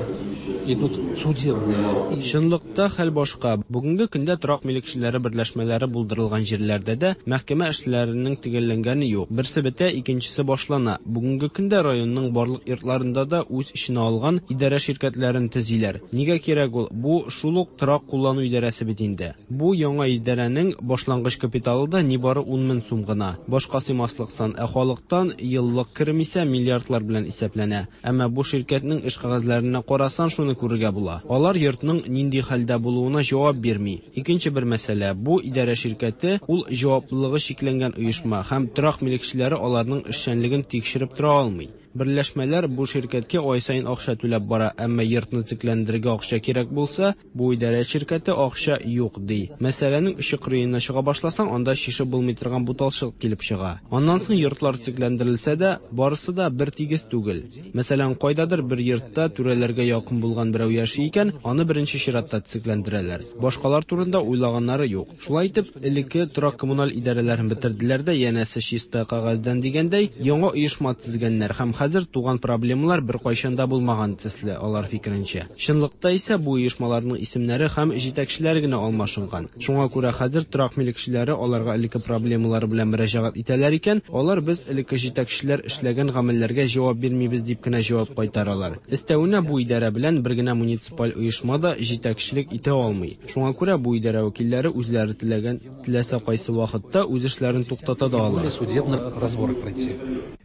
идут судебные. Чынлыкта хәл башка. Бүгенге көндә торак милекчеләре берләшмәләре булдырылган җирләрдә дә мәхкәмә эшләренең төгәлләнгәне юк. Берсе бетә, икенчесе башлана. Бүгенге көндә районның барлык йортларында да үз эченә алган идарә ширкәтләрен төзиләр. Нигә кирәк ул? Бу шул ук торак куллану идарәсе бит инде. Бу яңа идарәнең башлангыч капиталы да нибары ун мең сум гына. Башка сыймаслык сан, ә халыктан еллык керем исә миллиардлар белән исәпләнә. Әмма бу ширкәтнең эш кәгазьләренә карасан, шуны күрергә була. Алар йортның нинди хәлдә булуына җавап бирми. Икенче бер мәсьәлә, бу идарә ширкәте ул җаваплылыгы чикләнгән оешма һәм торак милекчеләре аларның эшчәнлеген тикшереп тора алмый. Берләшмәләр бу ширкәткә ай саен акча түләп бара, әмма йортны төзекләндерергә акча кирәк булса, бу идарә ширкәте акча юк ди. Мәсьәләнең очы кырыена чыга башласаң, анда шишеп булмый торган буталчык килеп чыга. Аннан соң йортлар төзекләндерелсә дә, барысы да бер тигез түгел. Мәсәлән, кайдадыр бер йортта түрәләргә якын булган берәү яши икән, аны беренче чиратта төзекләндерәләр. Башкалар турында уйлаганнары юк. Шулай итеп, элекке торак-коммуналь идарәләрен бетерделәр дә, янәсе чиста кәгазьдән дигәндәй, яңа оешма төзегәннәр һәм хәзер туган проблемалар бер кайчан да булмаган төсле, алар фикеренчә. Чынлыкта исә бу оешмаларның исемнәре һәм җитәкчеләре генә алмашынган. Шуңа күрә хәзер торак милекчеләре аларга элекке проблемалары белән мөрәҗәгать итәләр икән, алар без элекке җитәкчеләр эшләгән гамәлләргә җавап бирмибез дип кенә җавап кайтаралар. Өстәвенә бу идарә белән бер генә муниципаль оешма да җитәкчелек итә алмый. Шуңа күрә бу идарә вәкилләре үзләре теләгән теләсә кайсы вакытта үз эшләрен туктата да ала.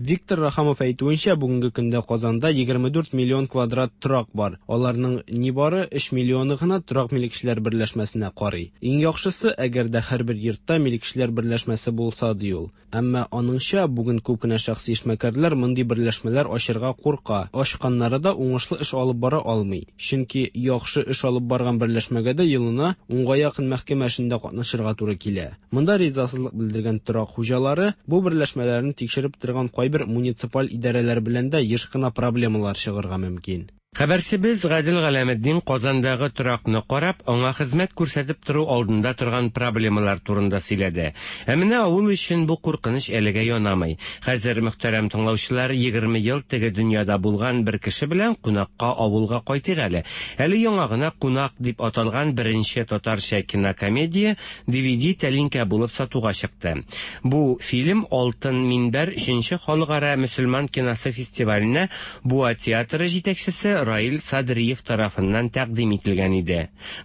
Виктор Рахамов әйтүенчә, бүгенге көндә Казанда егерме дүрт миллион квадрат торак бар. Аларның нибары өч миллионы гына торак милекчеләр берләшмәсенә карый. Иң яхшысы, әгәр дә һәрбер йортта милекчеләр берләшмәсе булса, ди ул. Әмма аныңча, бүген күп кенә шәхси эшмәкәрләр мондый берләшмәләр ачырга курка. Ачканнары да уңышлы эш алып бара алмый. Чөнки яхшы эш алып барган берләшмәгә дә елына унга якын мәхкәмә эшендә катнашырга туры килә. Монда ризасызлык белдергән торак хуҗалары бу берләшмәләрне тикшереп торган кайбер муниципаль идарәләр белән дә еш кына проблемалар чыгарга мөмкин. Хәбәрчебез Гадел Галәметдин Казандагы торакны карап, аңа хезмәт күрсәтеп тору алдында торган проблемалар турында сөйләде. Ә менә авыл өчен бу куркыныч әлегә янамый. Хәзер мөхтәрәм тыңлаучылар, егерме ел теге дөньяда булган бер кеше белән кунакка авылга кайтыйк әле. Әле яңа гына Кунак дип аталган беренче татарча кинокомедия ди ви ди тәлинкә булып сатуга чыкты. Бу фильм Алтын Минбәр өченче халыкара мөселман киносы фестиваленә Буа театры җитәкчесе Раил Садриев тарафыннан тәкъдим ителгән иде.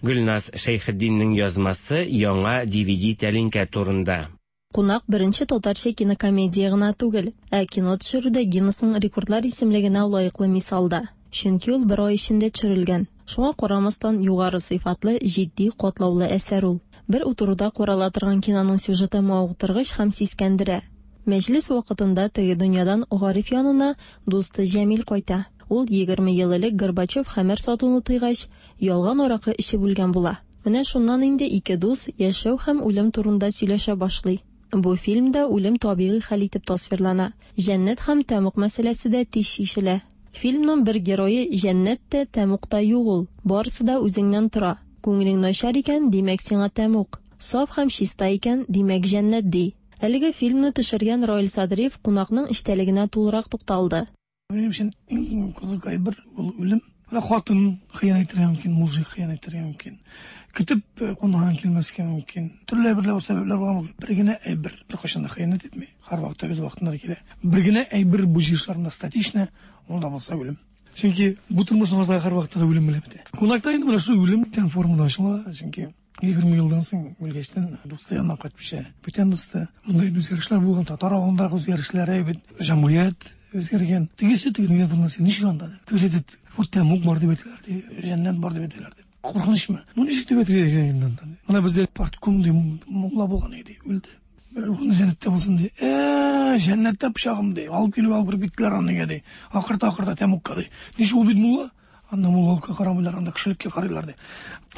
Гөлназ Шәйхетдиннең язмасы яңа ди ви ди тәлинкә турында. Кунак беренче татарча кинокомедия гына түгел, ә кино төшерүдә Гиннесның рекордлар исемлегенә лаеклы мисал да. Чөнки ул бер ай эчендә төшерелгән. Шуңа карамастан югары сыйфатлы, җитди, катлаулы әсәр ул. Бер утыруда карала торган киноның сюжеты мавыктыргыч һәм сискәндерә. Мәҗлес вакытында теге дөньядан Гариф янына дусты Җәмил кайта. Ул егерме ел элек Горбачев хәмер сатуны тыйгач, ялган аракы эчеп үлгән була. Менә шуннан инде ике дус яшәү һәм үлем турында сөйләшә башлый. Бу фильмда үлем табигый хәл итеп тасвирлана. Җәннәт һәм тәмуг мәсьәләсе дә тиз чишелә. Фильмның бер герое җәннәт тә, тәмуг та юк ул. Барысы да үзеңнән тора. Күңелең начар икән, димәк сиңа тәмуг. Саф һәм чиста икән, димәк җәннәт ди. Әлеге фильмны төшергән Раил Садриев кунакның эчтәлегенә тулырак тукталды. Минем өчен иң кызык әйбер ул үлем. Менә хатын хыянәт итәргә мөмкин, мужик хыянәт итәргә мөмкин. Көтеп кунаган килмәскә мөмкин. Төрле әйберләр, сәбәпләр булган мөмкин. Бер генә әйбер беркайчан да хыянәт итми. Һәрвакытта үз вакытында килә. Бер генә әйбер бу җир шарында статична, ул да булса үлем. Чөнки бу тормышның азагы һәрвакытта да үлем белән бетә. Кунакта инде менә шул үлем дигән формада ачыла, чөнки егерме елдан соң үлгәчтән дусты янына кайтып төшә. Бүтән дусты. Монда инде үзгәрешләр булган, татар авылындагы үзгәрешләр әйбәт, җәмгыять үзгәргән. Тегесе тегенең турында син ничек анда? Тегесе әйтә, вот тәмуг бар дип әйтәләр, ди, җәннәт бар дип әйтәләр, ди. Куркынычмы? Ну ничек дип әйтергә инде анда? Менә бездә партком ди, мулла булган иде, үлде. Рухны җәннәттә булсын ди. Э, җәннәттә пычагым ди. Алып килеп алып кереп киттеләр аны ди. Акырта акырта тәмугка ди. Ничек ул бит мулла? Анда муллалыкка карамыйлар, анда кешелеккә карыйлар ди.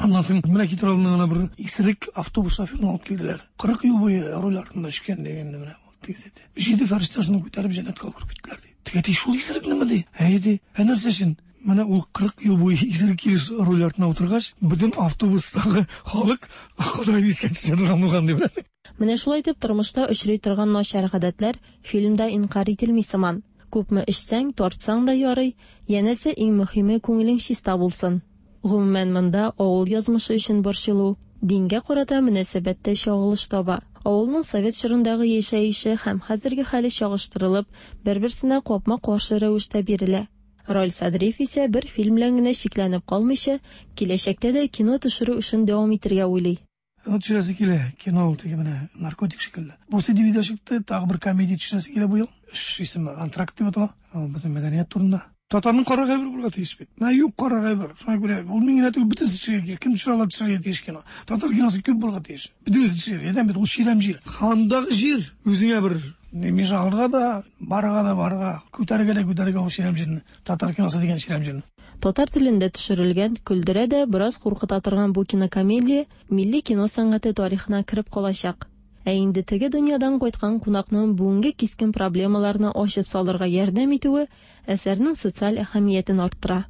Аннан соң менә китер алдыннан гына бер исерек автобус шоферын алып килделәр. Кырык ел буе руль артында эчкән дигәндә менә тегесе әйтә. Җиде фәрештә шуны күтәреп җәннәткә алып кереп киттеләр ди. Теге әйтә, шул исерекнеме ди? Әйе ди. Ә нәрсә өчен? Менә ул кырык ел буе исерек килеш руль артына утыргач, бөтен автобустагы халык Ходайны искә төшерә торган булган дип. Менә шулай итеп тормышта очрый торган начар гадәтләр фильмда инкарь ителми сыман. Күпме эчсәң, тартсаң да ярый, янәсе иң мөһиме күңелең чиста булсын. Гомумән монда авыл язмышы өчен борчылу, дингә карата мөнәсәбәттә чагылыш таба. Авылның совет чорындагы яшәеше һәм хәзерге хәле чагыштырылып, бер-берсенә капма-каршы рәвештә бирелә. Раил Садриев исә бер фильм белән генә чикләнеп калмыйча, киләчәктә дә кино төшерү эшен дәвам итәргә уйлый. Аны төшерәсе килә, кино ул теге менә наркотик шикелле. Бусы ди ви ди чыкты, тагы бер комедия төшерәсе килә бу ел. Эш исеме Антракт дип атала. Ул безнең мәдәният турында. Татарның кара әйбер булырга тиеш бит. Менә юк кара әйбер. Шуңа күрә ул мин генә түгел, бөтенесе төшерергә кирәк. Кем төшерә ала, төшерергә тиеш кино. Татар киносы күп булырга тиеш. Бөтенесе төшерергә. Әдәм бит ул чирәм җир. Хандагы җир үзеңә бер меж алырга да, барырга да барырга, күтәрергә дә күтәрергә ул чирәм җирне. Татар киносы дигән чирәм җирне. Татар телендә төшерелгән, көлдерә дә, бераз куркыта торган бу кинокомедия милли кино сәнгате тарихына кереп калачак. Ә инде теге дөньядан кайткан кунакның бүгенге кискен проблемаларны ачып салырга ярдәм итүе әсәрнең социаль әһәмиятен арттыра.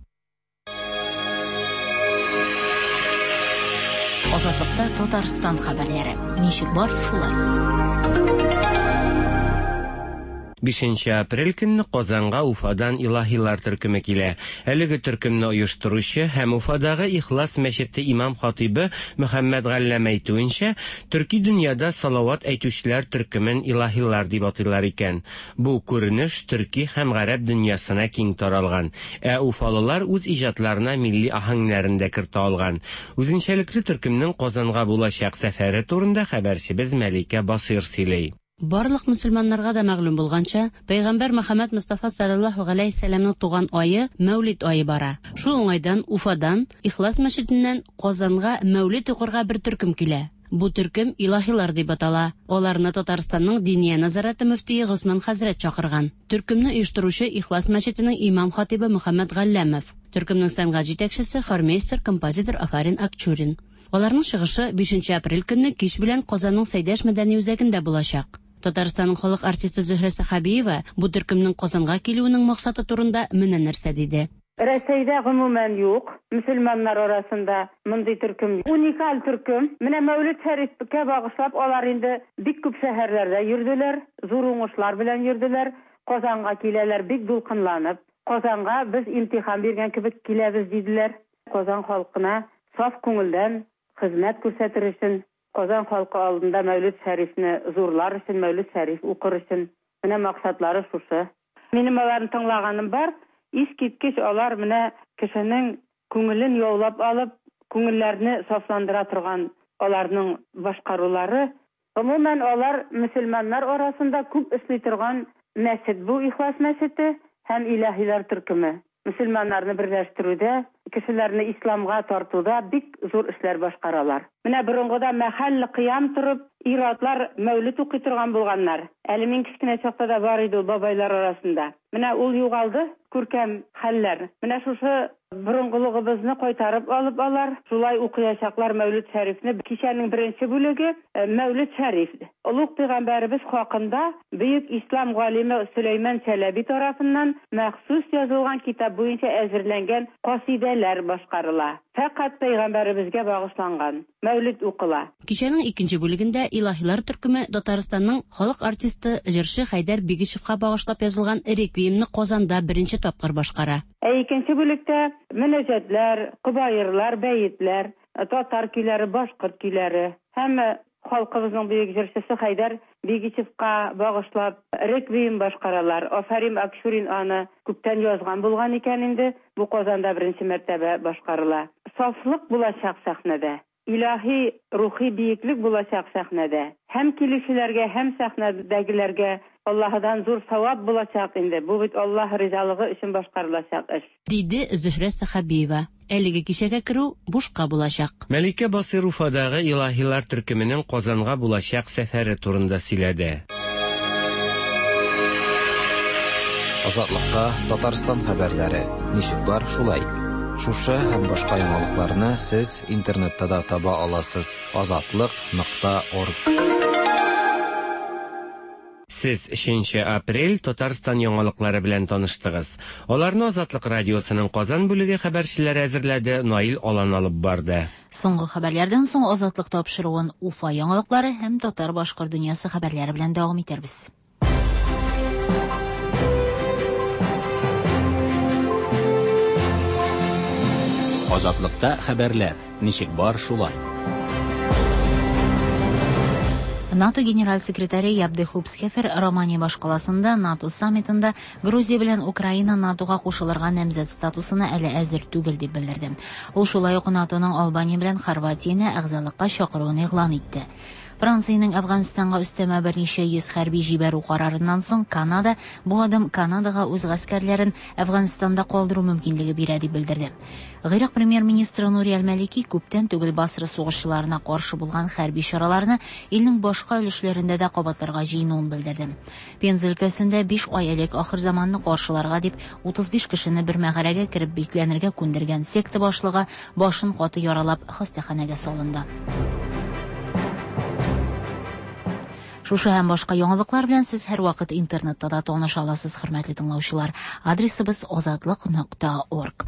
Азатлыкта Татарстан хәбәрләре. Ничек бар, шулай. Бишенче апрель көнне Казанга Уфадан илаһилар төркеме килә. Әлеге төркемне оештыручы һәм Уфадагы Ихлас мәчете имам хатибы Мөхәммәд Галләм әйтүенчә, төрки дөньяда салават әйтүчеләр төркемен илаһилар дип атыйлар икән. Бу күренеш төрки һәм гарәп дөньясына киң таралган. Ә уфалылар үз иҗатларына милли аһәңнәрен дә кертә алган. Үзенчәлекле төркемнең Казанга булачак сәфәре турында хәбәрчебез Мәликә Басыйр сөйли. Барлык мөселманнарга да мәгълүм булганча, Пәйгамбәр Мөхәммәд Мустафа саллаллаһу галәйһи сәламның туган айы Мәүлид айы бара. Шул уңайдан Уфадан Ихлас мәчетеннән Казанга Мәүлид укырга бер төркем килә. Бу төркем илаһилар дип атала. Аларны Татарстанның Диния назараты мөфтие Госман хәзрәт чакырган. Төркемне оештыручы Ихлас мәчетенең имам хатибы Мөхәммәд Галләмов. Төркемнең сәнгать җитәкчесе хормейстер, композитор Афарин Акчурин. Аларның чыгышы бишенче апрель көнне кич белән Казанның Сәйдәш мәдәни үзәгендә булачак. Татарстанның халык артисты Зөһрә Сәхабиева бу төркемнең Казанга килүенең максаты турында менә нәрсә диде. Рәсәйдә гомумән юк, мөселманнар арасында мондый төркем. Уникаль төркем. Менә Мәүлид Шәрифкә багышлап алар инде бик күп шәһәрләрдә йөрделәр, зур уңышлар белән йөрделәр. Казанга киләләр бик дулкынланып. Казанга без имтихан биргән кебек киләбез диделәр. Казан халкына саф күңелдән хезмәт күрсәтер өчен, Казан халкы алдында Мәүлид Шәрифне зурлар өчен, Мәүлид Шәриф укыр өчен. Менә максатлары шушы. Минем аларны тыңлаганым бар. Искиткеч алар менә кешенең күңелен яулап алып, күңелләрне сафландыра торган аларның башкарулары. Гомумән алар мөселманнар арасында күп эшли торган мәчет бу Ихлас мәчете һәм илаһилар төркеме. Мөселманнарны берләштерүдә, кешеләрне исламга тартуда бик зур эшләр башкаралар. Менә борынгыда мәхәлле кыям торып, ир-атлар мәүлид укый торган булганнар. Әле мин кечкенә чакта да бар иде ул бабайлар арасында. Менә ул югалды, күркәм хәлләр. Менә шушы борынгылыгыбызны кайтарып алып алар, шулай укыячаклар Мәүлид Шәрифне. Кичәнең беренче бүлеге Мәүлид Шәриф. Олуг пәйгамбәребез хакында бөек ислам галиме Сөләйман Чәләби тарафыннан махсус язылган китап буенча әзерләнгән касидәләр башкарыла. Фәкать пәйгамбәребезгә багышланган Мәүлид укыла. Кичәнең икенче бүлегендә Илаһилар төркеме Татарстанның халык артисты җырчы Хәйдәр Бигишевка багышлап язылган реквиемны Казанда беренче тапкыр башкара. Ә икенче бүлектә мөнәҗәтләр, кобаерлар, бәетләр, татар көйләре, башкорт көйләре һәм халкыбызның бөек җырчысы Хәйдәр Бигишевка багышлап реквием башкаралар. Афәрим Акчурин аны күптән язган булган икән инде, бу Казанда беренче мәртәбә башкарыла. Сафлык булачак сәхнәдә. Илаһи рухи биеклек булачак сәхнәдә. Һәм килүчеләргә, һәм сәхнәдәгеләргә Аллаһыдан зур савап булачак инде. Бу бит Аллаһ ризалыгы өчен башкарылачак эш. Диде Зөһрә Сәхабиева. Әлеге кичәгә керү бушка булачак. Мәликә Басыйр Уфадагы Илаһилар төркеменең Казанга булачак сәфәре турында сөйләде. Азатлыкта Татарстан хәбәрләре ничек бар шулай. Шушы һәм башка яңалыкларны сез интернетта да таба аласыз. азатлык нокта орг. Сез өченче апрель Татарстан яңалыклары белән таныштыгыз. Аларны Азатлык радиосының Казан бүлеге хәбәрчеләре әзерләде, Наил Алан алып барды. Соңгы хәбәрләрдән соң Азатлык тапшыруын Уфа яңалыклары һәм татар-башкорт дөньясы хәбәрләре белән дәвам итәрбез. Азатлыкта хәбәрләр ничек бар шулай. НАТО генераль секретаре Яп де Хупсхефер Романия башкаласында НАТО саммитында Грузия белән Украина НАТОга кушылырга намзәт статусына әле әзер түгел дип белдерде. Ул шулай ук НАТОның Албания белән Хорватияне әгъзалыкка чакыруын игълан итте. Франциянең Әфганстанга өстәмә берничә йөз хәрби җибәрү карарыннан соң Канада бу адым Канадага үз гаскәрләрен Әфганстанда калдыру мөмкинлеге бирә дип белдерде. Гыйрак премьер-министры Нури Аль-Малики күптән түгел Басра сугышчыларына каршы булган хәрби чараларны илнең башка өлешләрендә дә кабатларга җыенуын белдерде. Пенза өлкәсендә биш ай элек ахыр заманны каршыларга дип утыз биш кешене бер мәгарәгә кереп бикләнергә күндергән секта башлыгы башын каты яралап хастаханәгә салынды. Шушы һәм башка яңалыклар белән сез һәр вакыт интернетта да таныша аласыз, хөрмәтле тыңлаучылар. Адресыбыз азатлык нокта орг.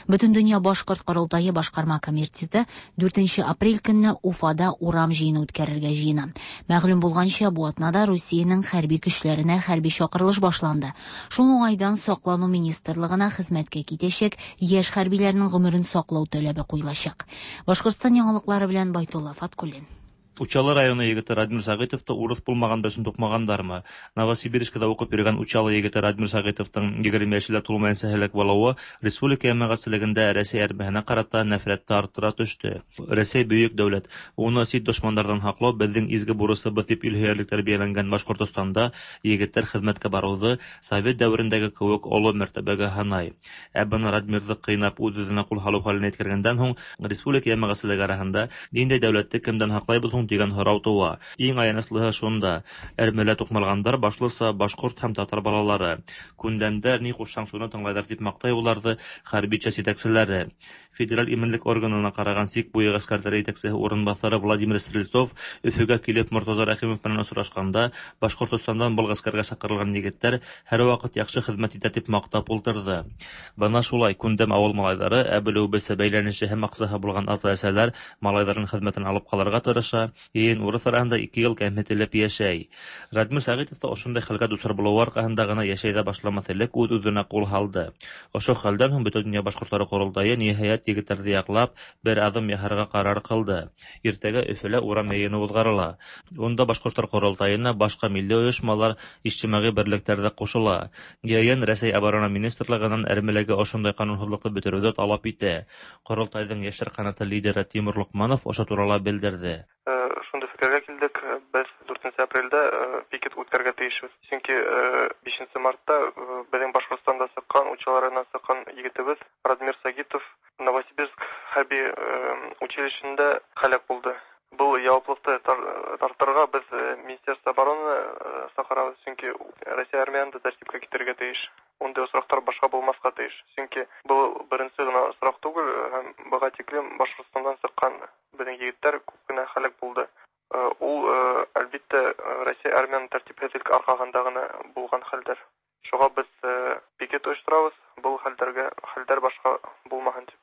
Бөтендөнья башкорт корылтае башкарма комитеты дүртенче апрель көнне Уфада урам җыены үткәрергә җыена. Мәгълүм булганча, бу атнада Русиянең хәрби көчләренә хәрби чакырылыш башланды. Шул уңайдан Саклану министрлыгына хезмәткә китәчәк яшь хәрбиләрнең гомерен саклау таләбе куелачак. Башкортстан яңалыклары белән Байтулла Фаткуллин. Учалы районы егете Радмир Сәгыйтовты урыс булмаган өчен тукмагандармы? Новосибирскида укып йөргән Учалы егете Радмир Сәгыйтовтың егерме яшьлә тулмаенча һәлак булуы республика җәмәгатьчелегендә Рәсәй әрмәһенә карата нәфрәтне арттыра төште. Рәсәй бөек дәүләт, уны чит дошмандардан һаклау безнең изге бурысыбыз дип илһөярлек тәрбияләнгән Башкортостанда егетләр хезмәткә баруды совет дәверендәге кебек олы мәртәбәгә һанай. Ә быны Радмирҙы кыйнап үҙ-үҙенә кул һалыу хәленә еткергәндән һуң республика җәмәгатьчелеге араһында ниндәй дәүләтте кемдән һаклайбыз һуң дигән һорау тыуа. Иң аяныслыһы шунда: әрмелә туҡмалғандар башлыса башҡорт һәм татар балалары. Күндәмдәр ни ҡушһаң шуны тыңлайҙар дип маҡтай уларҙы хәрби часть етәкселәре. Федераль именлек органына ҡараған сик буйы ғәскәрҙәре етәксеһе урынбаҫары Владимир Стрельцов Өфөгә килеп Мортаза Рәхимов менән осрашҡанда Башҡортостандан был ғәскәргә саҡырылған егеттәр һәр ваҡыт яҡшы хеҙмәт итә дип маҡтап ултырҙы. Бына шулай күндәм ауыл малайҙары, ә белеүебеҙсә бәйләнеше һәм аҡсаһы булған ата-әсәләр малайҙарын хеҙмәтен алып ҡалырға тырыша. Йыйын урыҫ араһында ике йыл кәмһетелеп йәшәй. Радмир Сәғитов та ошондай хәлгә дусар булыуы арҡаһында ғына йәшәй ҙә башламаҫ элек үҙ-үҙенә ҡул һалды. Ошо хәлдән һуң Бөтә донъя башҡорттары ҡоролтайы ниһайәт егеттәрҙе яҡлап бер аҙым яһарға ҡарар ҡылды. Иртәгә Өфөлә урам йыйыны уҙғарыла. Унда башҡорттар ҡоролтайына башҡа милли ойошмалар, ижтимағи берлектәр ҙә ҡушыла. Йыйын Рәсәй оборона министрлығынан әрмеләге ошондай ҡанунһыҙлыҡты бөтөрөүҙе талап итә. Ҡоролтайҙың йәштәр ҡанаты лидеры Тимур Лоҡманов ошо турала белдерҙе. Шундай фикергә килдек, беҙ дүртенсе апрелдә пикет үткәрергә тейешбеҙ. Сөнки бишенсе мартта беҙҙең Башҡортостанда сыҡҡан, Учалы районынан сыҡҡан егетебеҙ Радмир Сагитов Новосибирск хәрби училищеһында һәләк булды. Был яуаплыҡты җаваплар тартырга без Министерство обороны чакырабыз, чөнки Россия армияны да тәртипкә китерергә тиеш. Ундый очраклар башка булмаска тиеш. Чөнки бу беренче генә очрак түгел, һәм быга тиклем Башкортстаннан чыккан безнең егетләр күп кенә һәлак булды. Ул, әлбиттә, Россия армияның тәртипсезлек аркасында гына булган хәлдер. Шуңа без пикет оештырабыз, бу хәлдәргә хәлдәр башка булмасын дип.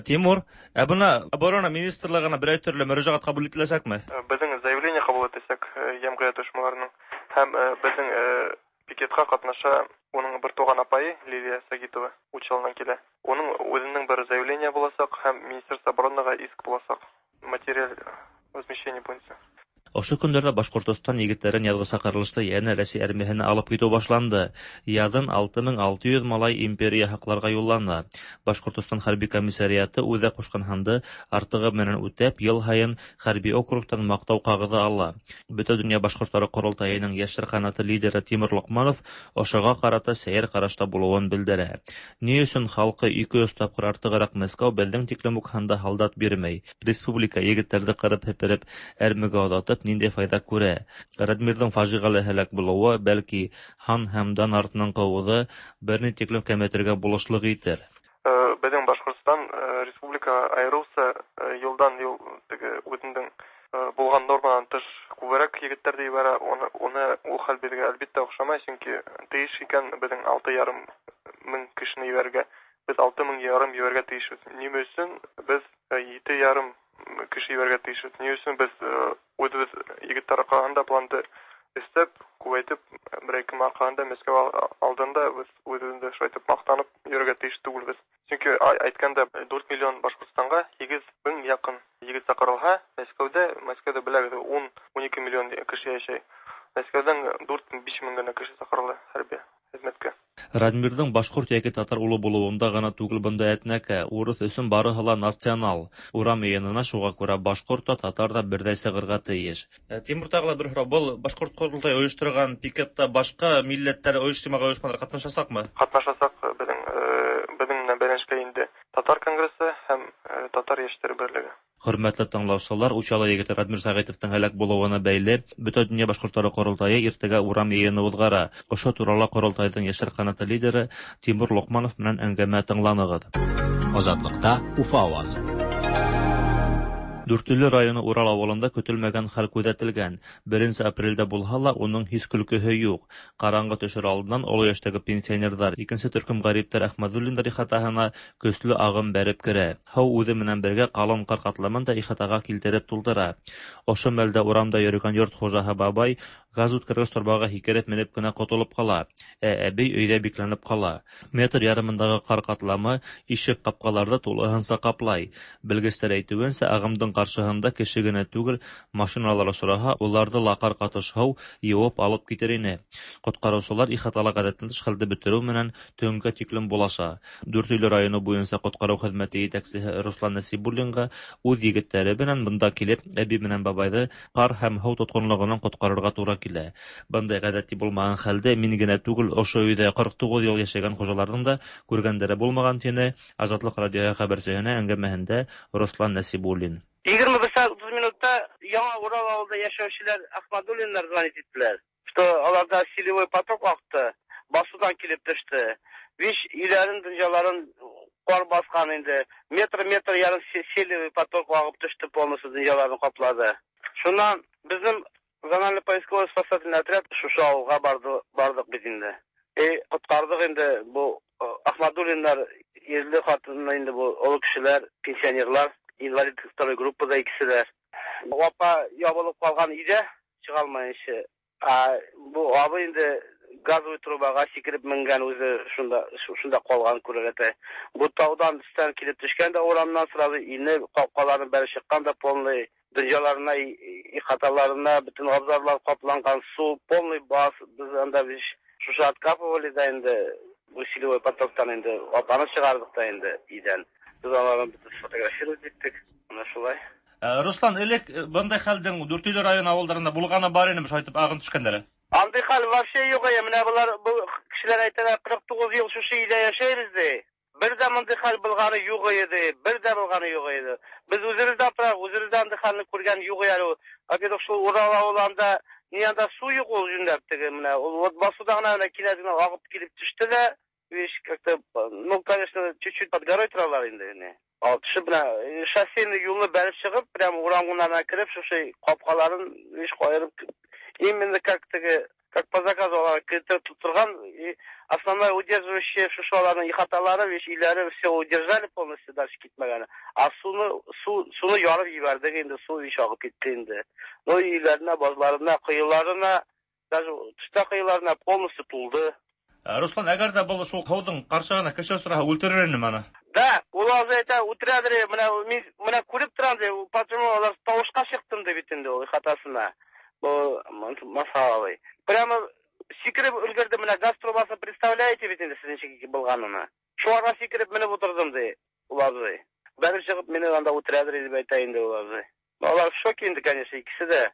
Тимур, ә бына оборона министрлыгына берәр төрле мөрәҗәгать кабул ителәчәкме? Безнең заявление кабул ителәчәк җәмгыять оешмаларының һәм безнең пикетка катнаша уның бер туган апайы Лилия Сагитова Учалыдан килә. Уның үзенең бер заявление булачак һәм Министерство оборонага иск булачак материаль возмещение буенча. Ошо көндәрдә Башкортостан егетләрен язгы чакырылышта янә Рәсәй армияһенә алып китү башланды. Язын алты мең алты йөз малай империя һакларга юллана. Башкортостан хәрби комиссариаты үҙе ҡушҡан һанды артығы менән үтәп, йыл һайын хәрби округтан маҡтау ҡағыҙы ала. Бөтә донъя башҡорттары ҡоролтайының йәштәр ҡанаты лидеры Тимур Лоҡманов ошоға ҡарата сәйер ҡарашта булыуын белдерә. Ни өсөн халҡы ике йөҙ тапҡыр артығыраҡ Мәскәү беҙҙең тиклем үк һанда һалдат бирмәй? Республика егеттәрҙе ҡырып һепереп, әрмегә оҙатып, ниндәй файҙа күрә? Радмирҙың фажиғәле һәләк булыуы, бәлки, һан һәм дан артынан ҡыуыуҙы бер ни тиклем кәметергә булышлыҡ итер. Беҙҙең Башҡортостан республика айырыуса йылдан йыл теге үҙенең булған норманан тыш күберәк егеттәрҙе ебәрә. Уны, уны ул хәл беҙгә әлбиттә оҡшамай, сөнки тейеш икән беҙҙең алты ярым мең кешене ебәрергә. Беҙ алты мең ярым ебәрергә тейешбеҙ. Нимә өсөн беҙ ете ярым кеше ебәрергә тейешбеҙ? Ни өсөн беҙ үҙебеҙ егеттәр арҡаһында планды эшләп, күбәйтеп, берәй кем арҡаһында Мәскәү алдында беҙ үҙебеҙҙе шулай итеп маҡтанып йөрөргә тейеш түгелбеҙ. Сөнки әйткәндә дүрт миллион Башҡортостанға һигеҙ мең яҡын егет саҡырылһа, Мәскәүҙә, Мәскәүҙә беләгеҙ, ун, ун ике миллион кеше йәшәй. Мәскәүҙән дүрт, биш мең генә кеше саҡырыла хәрби хеҙмәткә. Радмирҙың башҡорт йәки татар улы булыуында ғына түгел бында әтнәкә, урыҫ өсөн барыһы ла национал. Урам йыйынына шуға күрә башҡорт та, татар ҙа берҙәй сығырға тейеш. Тимур, тағы ла бер һорау: был башҡорт ҡоролтайы ойошторған пикетта башҡа милләттәр, ойошма ойошмалар ҡатнашасаҡмы? Ҡатнашасаҡ. Беҙҙең беҙҙең менән бәйләнешкә инде Татар конгрессы һәм Татар йәштәре берлеге. Хөрмәтле тыңлаусылар, Учалы егете Радмир Сәғитовтың һәләк булыуына бәйле Бөтә донъя башҡорттары ҡоролтайы иртәгә урам йыйыны уҙғара. Ошо турала ҡоролтайҙың йәштәр ҡанаты лидеры Тимур Лоҡманов менән әңгәмә тыңланығыҙ. Азатлыкта Уфа авазы. Дүртөйлө районы Урал ауылында көтөлмәгән хәл күҙәтелгән. Беренсе апрелдә булһа ла, уның һис көлкөһө юҡ. Ҡараңғы төшөр алдынан оло йәштәге пенсионерҙар, икенсе төркөм ғәриптәр Әхмәҙуллиндар ихатаһына көслө ағым бәреп керә. Һыу үҙе менән бергә ҡалын ҡар ҡатламын да ихатаға килтереп тултыра. Ошо мәлдә урамда йөрөгән йорт хужаһы бабай газ үткәргес торбаға һикереп менеп кенә ҡотолоп ҡала, ә әбей өйҙә бикләнеп ҡала. Метр ярымындағы ҡар ҡатламы ишек ҡапҡаларҙы тулыһынса ҡаплай. Белгестәр әйтеүенсә, ағымдың ҡаршыһында кеше генә түгел, машиналар осраһа, уларҙы ла ҡар ҡатыш һыу йыуып алып китер ине. Ҡотҡарыусылар ихатала ғәҙәттән тыш хәлде бөтөрөү менән төнгә тиклем булаша. Дүртөйлө районы буйынса ҡотҡарыу хеҙмәте етәксеһе Руслан Нәсибуллинға үҙ егеттәре менән бында килеп, әбей менән бабайҙы ҡар һәм һыу тотҡонлоғонан ҡотҡарырға тура килә. Бындай ғәҙәти булмаған хәлде мин генә түгел, ошо өйҙә ҡырҡ туғыҙ йыл йәшәгән хужаларҙың да күргәндәре булмаған, тине Азатлыҡ радиоһы хәбәрсеһенә әңгәмәһендә Руслан Нәсибуллин. Егерме бер сәғәт утыҙ минутта Яңа Урал ауылында йәшәүселәр Ахмадуллиндар звонить иттеләр, что аларҙа селевой поток аҡты, басыуҙан килеп төштө. Биш өйләрен, донъяларын ҡар баҫҡан инде. Метр-метр ярым селевой поток ағып төштө, полностью донъяларын ҡаплады. Шунан беҙҙең зональный поисковый спасательный отряд шушы ауылға барҙы, барҙыҡ беҙ инде. И ҡотҡарҙыҡ инде был Ахмадуллиндар ирле ҡатыны инде был оло кешеләр, пенсионерлар, инвалид второй группада икесе лә. Апа ябылып ҡалған өйҙә, сыға алмайынса. А бу абый инде газовый трубаға сикереп менгән, үҙе шунда шунда ҡалған күрәләтә. Бу тауҙан өҫтән килеп төшкән дә урамнан сразу инеп, ҡапҡаларын бәреп сыҡҡан да полный донъяларына, ихаталарына бөтөн абзарлар ҡапланған, сыу полный бас. Беҙ анда шушы откапывали да инде усилевой потоктан инде апаны сығарҙыҡ та инде өйҙән. Беҙ аларны бөтөн сфотографировать иттек. Ана шулай. Руслан, элек бындай хәлдең Дүртөйлө районы ауылдарында булғаны бар инеме, шулай итеп ағын төшкәндәре? Андый хәл вообще юҡ. Менә былар, был кешеләр әйтәләр, ҡырҡ туғыҙ йыл шушы өйҙә йәшәйбеҙ, ти. Бер дә мондый хәл булганы юк иде, бер дә булганы юк иде. Без үзебез дә аптырап, үзебез дә андый хәлне күргән юк әле. Во-первых, шул Урал авылында ни анда су юк ул юньләп теге менә. Ул вот басуда гына менә кинәт генә агып килеп төште дә, вещь как-то, ну, конечно, чуть-чуть под горой торалар инде. Не. Ал төшеп менә шоссейный юлны бәреп чыгып, прямо урамнарына кереп, шушы капкаларын вещь каерып, именно как теге, как по заказу алар кертеп торган, и основное удерживающее шушы аларның ихаталары, вещь өйләре все удержали полностью, дальше китмәгәне. А суны, су, суны ярып җибәрдек инде, су вещь агып китте инде. Ну, өйләренә, базларына, коеларына, даже тышта коеларына полностью тулды. Руслан, әгәр дә был шул һыуҙың ҡаршыһына кеше осраһа, үлтерер инем аны. Да, ул азы әйтә, үтерәдер, менә мин менә күреп торам ди, почему алар тавышка чыктым ди бит инде ул ихатасына. Бу масалай. Прямо сикереп өлгерде менә газ трубасын, представляете бит инде сез ничек булганын. Шуңа сикереп менеп утырдым ди ул абзый. Бәреп чыгып мине анда үтерәдер дип әйтә инде ул абзый. Алар в шоке инде, конечно, икесе дә.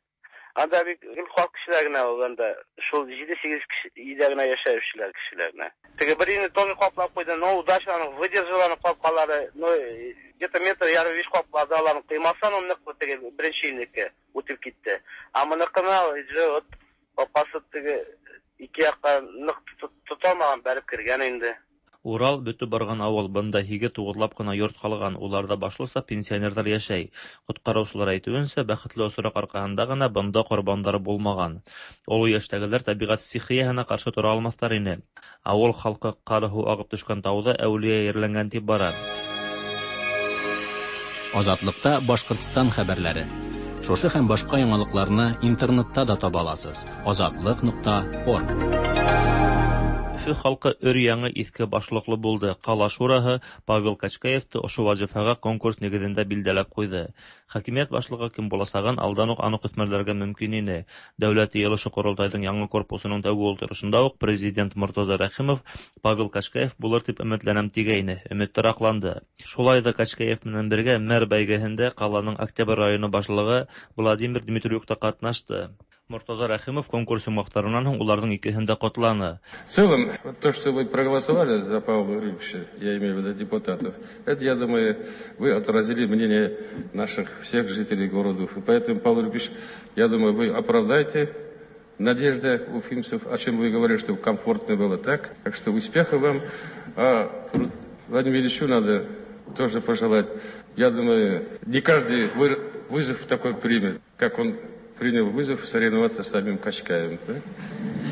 Анда бик гел халык кешеләр генә ул анда шул җиде-сигез кеше өйдә генә яшәүчеләр кешеләр генә. Теге бер өйне тоже каплап куйды, но удачно аның выдержал аның капкалары, но где-то метр ярым биш каплады аларның кыймасан ул нык теге беренче өйнеке үтеп китте. А моныкына уже вот капкасы теге ике якка нык тоталмаган, бәреп кергән инде. Урал бөтөп барган авыл, бында һиге туғыҙлап ҡына йорт ҡалған, уларҙа башлыса пенсионерҙар йәшәй. Ҡотҡарыусылар әйтеүенсә, бәхетле осраҡ арҡаһында ғына бында ҡорбандар булмаған. Оло йәштәгеләр тәбиғәт стихияһына ҡаршы тора алмаҫтар ине. Ауыл халҡы ҡар һыу ағып төшкән тауҙа әүлиә ерләнгән тип бара. Азатлыкта Башҡортостан хәбәрләре. Шушы һәм башҡа яңалыҡларны интернетта да таба аласыз. Азатлык нуҡта орг. Өфө халҡы өр-яңы иҫке башлыҡлы булды. Ҡала шураһы Павел Качкаевты ошо вазифаға конкурс нигеҙендә билдәләп ҡуйҙы. Хакимиәт башлығы кем буласағын алдан уҡ аныҡ үҫмерләргә мөмкин ине. Дәүләт йыйылышы ҡоролтайҙың яңы корпусының тәүге ултырышында уҡ президент Мортаза Рәхимов Павел Качкаев булыр тип өмөтләнәм тигәйне. Өмөттәр аҡланды. Шулай ҙа Качкаев менән бергә мэр бәйгеһендә ҡаланың Октябрь районы башлығы Владимир Дмитриюк та ҡатнашты. Мортаза Рәхимов конкурс йомғаҡтарынан һуң уларҙың икеһен дә ҡотланы. В целом, то, что вы проголосовали за Павла Юрьевича, я имею в виду депутатов, это, я думаю, вы отразили мнение наших всех жителей города Уфы. Поэтому, Павел Юрьевич, я думаю, вы оправдаете надежды уфимцев, о чем вы говорили, чтобы комфортно было так. Так что успеха вам. А Владимиру Ильичу надо тоже пожелать. Я думаю, не каждый вызов такой примет, как он принял вызов соревноваться с самим Качкаевым. Да?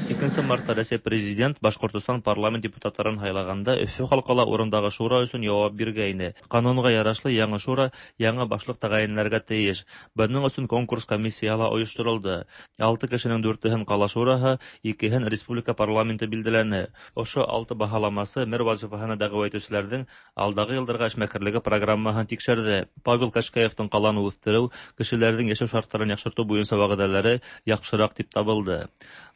Икенсе мартта Рәсәй президент Башҡортостан парламент депутаттарын һайлағанда Өфө халҡы ла урындағы шура өсөн яуап биргәйне. Ҡанунға ярашлы яңы шура яңы башлыҡ тәғәйенләргә тейеш. Бының өсөн конкурс комиссияһы ла ойошторолдо. Алты кешенең дүртеһен ҡала шураһы, икеһен республика парламенты билдәләне. Ошо алты баһаламасы мэр вазифаһына дәғүә итеүселәрҙең алдағы йылдарға эшмәкәрлеге программаһын тикшерҙе. Павел Качкаевтың ҡаланы үҫтереү, кешеләрҙең йәшәү шарттарын яҡшыртыу буйынса вәғәҙәләре яҡшыраҡ тип табылды.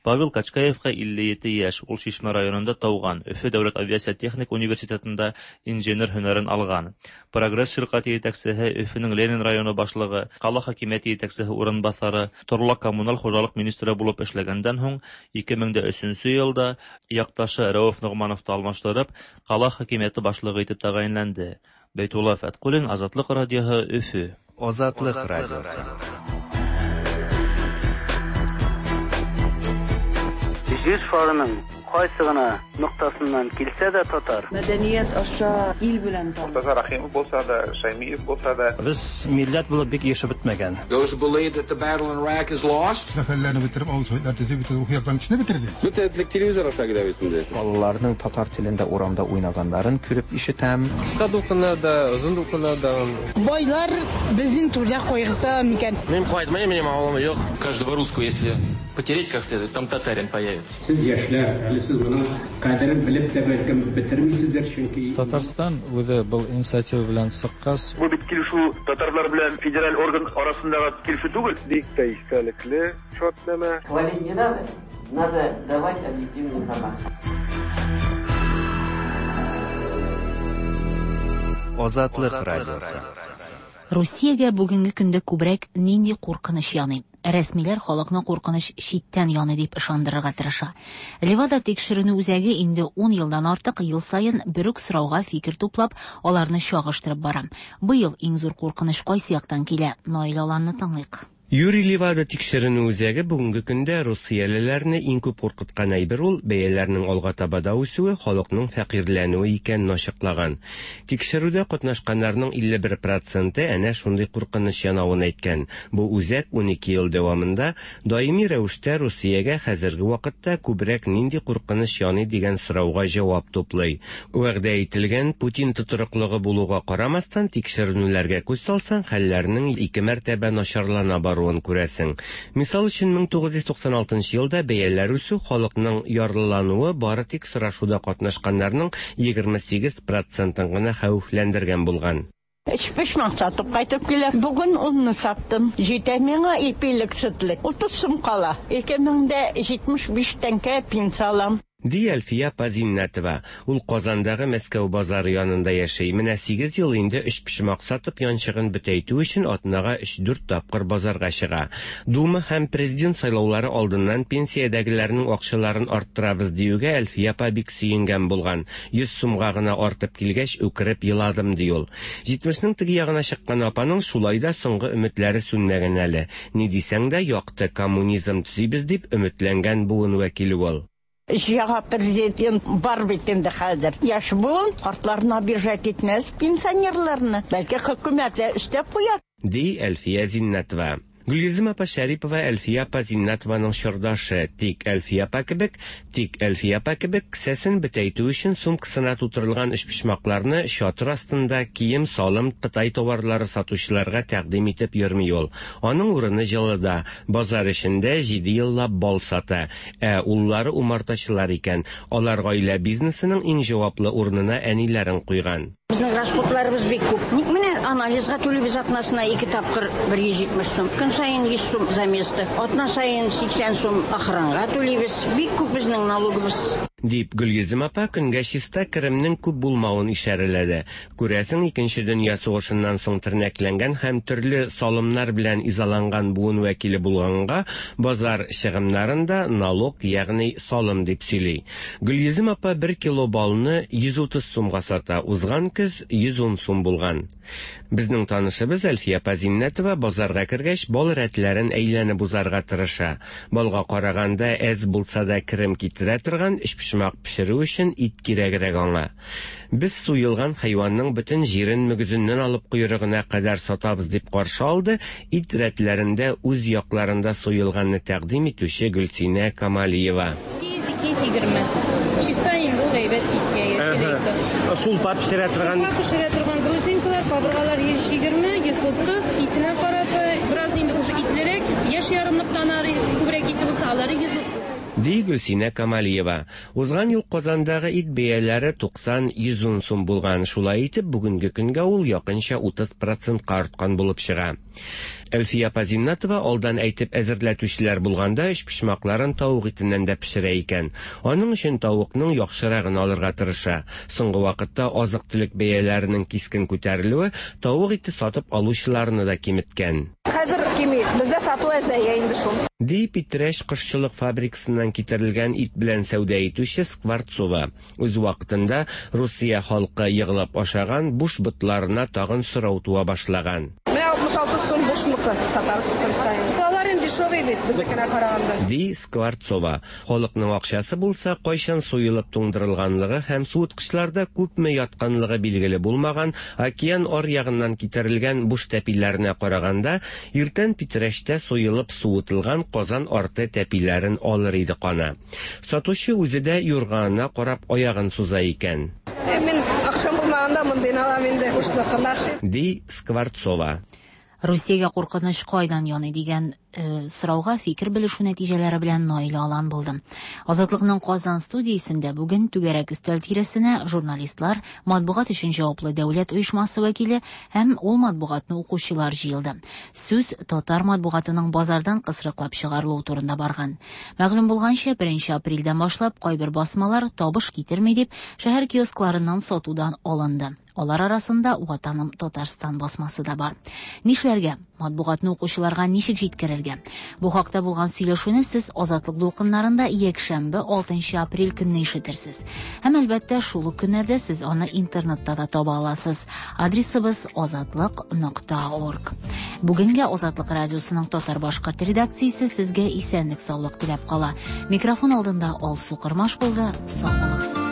Павел Качкаевҡа илле ете йәш, ул Шишмә районында тыуған, Өфө дәүләт авиация техник университетында инженер һөнәрен алған. Прогресс ширҡәте етәксеһе, Өфөнөң Ленин районы башлығы, ҡала хакимиәте етәксеһе урынбаҫары, торлаҡ коммуналь хужалыҡ министры булып эшләгәндән һуң ике мең дә өсөнсө йылда яҡташы Рәүеф Ноғмановты алмаштырып, ҡала хакимиәте башлығы итеп тәғәйенләнде. Бәйтулла Фәтҡуллин, Азатлыҡ радиоһы, Өфө. Азатлыҡ радиоһы. Җир шарының кайсы гына ноктасыннан килсә дә татар. Мәдәният аша ил белән таныш. Мортаза Рәхимов булса да, Шаймиев булса да. Без милләт булып бик яшәп бетмәгән. Those who believe that the battle in Iraq is lost. Сәфәрләрне бетереп, авыл советлар төзеп, бөтен рухи яктан кешене бетерде. Бөтен телевизор аша килә бит инде. Балаларның татар телендә урамда уйнаганнарын күреп ишетәм. Кыска дулкыннарда, озын дулкыннарда. Байлар безнең түрдә кайгырта микән? Мин кайтмыйм, минем авылым юк. Каждого русского, если потереть как следует, там татарин появится. Сез яшьләр, әле сез моның кадерен белеп тә бәлкем бетермисездер, чөнки Татарстан үзе был инициатива белән чыккач, бу бит килешү татарлар белән федераль орган арасындагы килешү түгел. Бик тә истәлекле шартнамә. Хвалить не надо, надо давать объективную информацию. Азатлык радиосы. Русиягә бүгенге көндә күбрәк нинди куркыныч яный? Рәсмиләр халыкны куркыныч читтән яный дип ышандырырга тырыша. Левада тикшеренү үзәге инде ун елдан артык ел саен бер үк сорауга фикер туплап, аларны чагыштырып бара. Быел иң зур куркыныч кайсы яктан килә? Наил Аланны тыңлыйк. Юрий Левада тикшеренү үзәге бүгенге көндә русиялеләрне иң күп куркыткан әйбер ул бәяләрнең алга таба да үсүе, халыкның фәкыйрьләнүе икәнен ачыклаган. Тикшерүдә катнашканнарның илле бер проценты әнә шундый куркыныч янавын әйткән. Бу үзәк унике ел дәвамында даими рәвештә Русиягә хәзерге вакытта күбрәк нинди куркыныч яный дигән сорауга җавап туплый. Вәгъдә ителгән Путин тотрыклыгы булуга карамастан, тикшеренүләргә күз салсаң, хәлләрнең ике мәртәбә начарлана баруы күрәсең. Мисал өчен, мең тугыз йөз туксан алтынчы елда бәяләр үсү, халыкның ярлылануы бары тик сорашуда катнашканнарның егерме сигез процентын гына хәвефләндергән булган. Өчпочмак сатып кайтып киләм. Бүген унны саттым. Җитә миңа ипилек, сөтлек. Утыз сум кала. Ике мең дә җитмеш биш тәңкә пенсия алам. Ди Әлфия апа Зиннәтова. Ул Казандагы Мәскәү базары янында яши. Менә сигез ел инде өчпочмак сатып янчыгын бөтәйтү өчен атнага өч-дүрт тапкыр базарга чыга. Дума һәм президент сайлаулары алдыннан пенсиядәгеләрнең акчаларын арттырабыз диюгә Әлфия апа бик сөенгән булган. Йөз сумга гына артып килгәч, үкереп еладым ди ул. Җитмешнең теге ягына чыккан апаның шулай да соңгы өметләре сүнмәгән әле. Ни дисәң дә, якты коммунизм төзибез дип өметләнгән буын вәкиле ул. Яңа президент бар бит инде хәзер. Яшь буын картларны обижать итмәс, пенсионерларны. Бәлки хөкүмәт тә өстәп куяр. Ди Әлфия Зиннәтова. Гөлйөзем апа Шәрипова Әлфия апа Зиннәтованың чордашы. Тик Әлфия апа кебек, тик Әлфия апа кебек кесәсен бөтәйтү өчен сумкасына тутырылган өчпочмакларны чатыр астында кием-салым, Кытай товарлары сатучыларга тәкъдим итеп йөрми ул. Аның урыны җылыда, базар эчендә җиде еллап бал сата. Ә уллары умартачылар икән. Алар гаилә бизнесының иң җаваплы урынына әниләрен куйган. Безнең расходларыбыз бик күп. Ник менә анализга түлибез атнасына ике тапкыр бер йөз җитмеш сум. Көн саен йөз сум за место. Атна саен сиксән сум охранга түлибез. Бик күп безнең налогыбыз. Дип Гөлйөзем апа көнгә чиста керемнең күп булмавын ишарәләде. Күрәсең, икенче дөнья сугышыннан соң тернәкләнгән һәм төрле салымнар белән изаланган буын вәкиле булганга базар чыгымнарын да налог, ягъни салым дип сөйли. Гөлйөзем апа бер кило балны йөз утыз сумга сата. Узган көз йөз ун сум булган. Безнең танышыбыз Әлфия апа Зиннәтова базарга кергәч бал рәтләрен әйләнеп узарга тырыша. Балга караганда әз булса да керем китерә торган өчпочмак пешерү өчен ит кирәгрәк аңа. Без суелган хайванның бөтен җирен мөгезеннән алып койрыгына кадәр сатабыз дип каршы алды ит рәтләрендә үз якларында суелганны тәкъдим итүче Гөлсинә Камалиева. ике йөз егерме. Чиста инде ул әйбәт иткә кирәк. Шулпа пешерә торган. Шулпа пешерә торган грузинкалар, кабыргалар йөз егерме, йөз утыз, итенә карап, бераз инде уже итлерәк, яшь ярымлыктан ары күбрәк ите булса, алары йөз утыз. Ди Гөлсинә Камалиева. Узган ел Казандагы ит бәяләре туксан йөз ун сум булган. Шулай итеп, бүгенге көнгә ул якынча утыз процентка арткан булып чыга. Әлфия апа Зиннәтова алдан әйтеп әзерләтүчеләр булганда өчпочмакларын тавык итеннән дә пешерә икән. Аның өчен тавыкның яхшырагын алырга тырыша. Соңгы вакытта азык-төлек бәяләренең кискен күтәрелүе тавык ите сатып алучыларны да киметкән. Хәзер кими, бездә сату әзәя инде шул. Ди Питрәч кошчылык фабрикасыннан китерелгән ит белән сәүдә итүче Скворцова. Үз вакытында Русия халкы йыгылып ашаган буш ботларына тагын сорау туа башлаган. Менә алтмыш алты сум бушныкы сатабыз көн саен. Алар инде дешевый бит безнекенә караганда. Ди Скворцова. Халыкның акчасы булса, кайчан суелып туңдырылганлыгы һәм суыткычларда күпме ятканлыгы билгеле булмаган океан ар ягыннан китерелгән буш тәпиләренә караганда, иртән Питрәчтә суелып суытылган Казан арты тәпиләрен алыр иде кана. Сатучы үзе дә юрганына карап аягын суза икән. Мин акчам булмаганда мондыйны алам инде, бушныкын. Ди Скворцова. Русиягә куркыныч кайдан яный дигән э, сорауга фикер белешү нәтиҗәләре белән Наилә Алан булды. Азатлыкның Казан студиясендә бүген түгәрәк өстәл тирәсенә журналистлар, матбугат өчен җаваплы дәүләт оешмасы вәкиле һәм ул матбугатны укучылар җыелды. Сүз татар матбугатының базардан кысрыклап чыгарылуы турында барган. Мәгълүм булганча, беренче апрельдән башлап кайбер басмалар табыш китерми дип, шәһәр киоскларыннан сатудан алынды. Алар арасында Ватаным Татарстан басмасы да бар. Нишләргә? Матбугатны укучыларга ничек җиткерергә? Бу хакта булган сөйләшүне сез Азатлык дулкыннарында якшәмбе алтынчы апрель көнне ишетерсез. Һәм әлбәттә, шул ук көннәрдә сез аны интернетта да таба аласыз. Адресыбыз азатлык нокта орг. Бүгенгә Азатлык радиосының татар-башкорт редакциясе сезгә исәнлек-саулык теләп кала. Микрофон алдында Алсу Кырмаш булды. Сау булыгыз.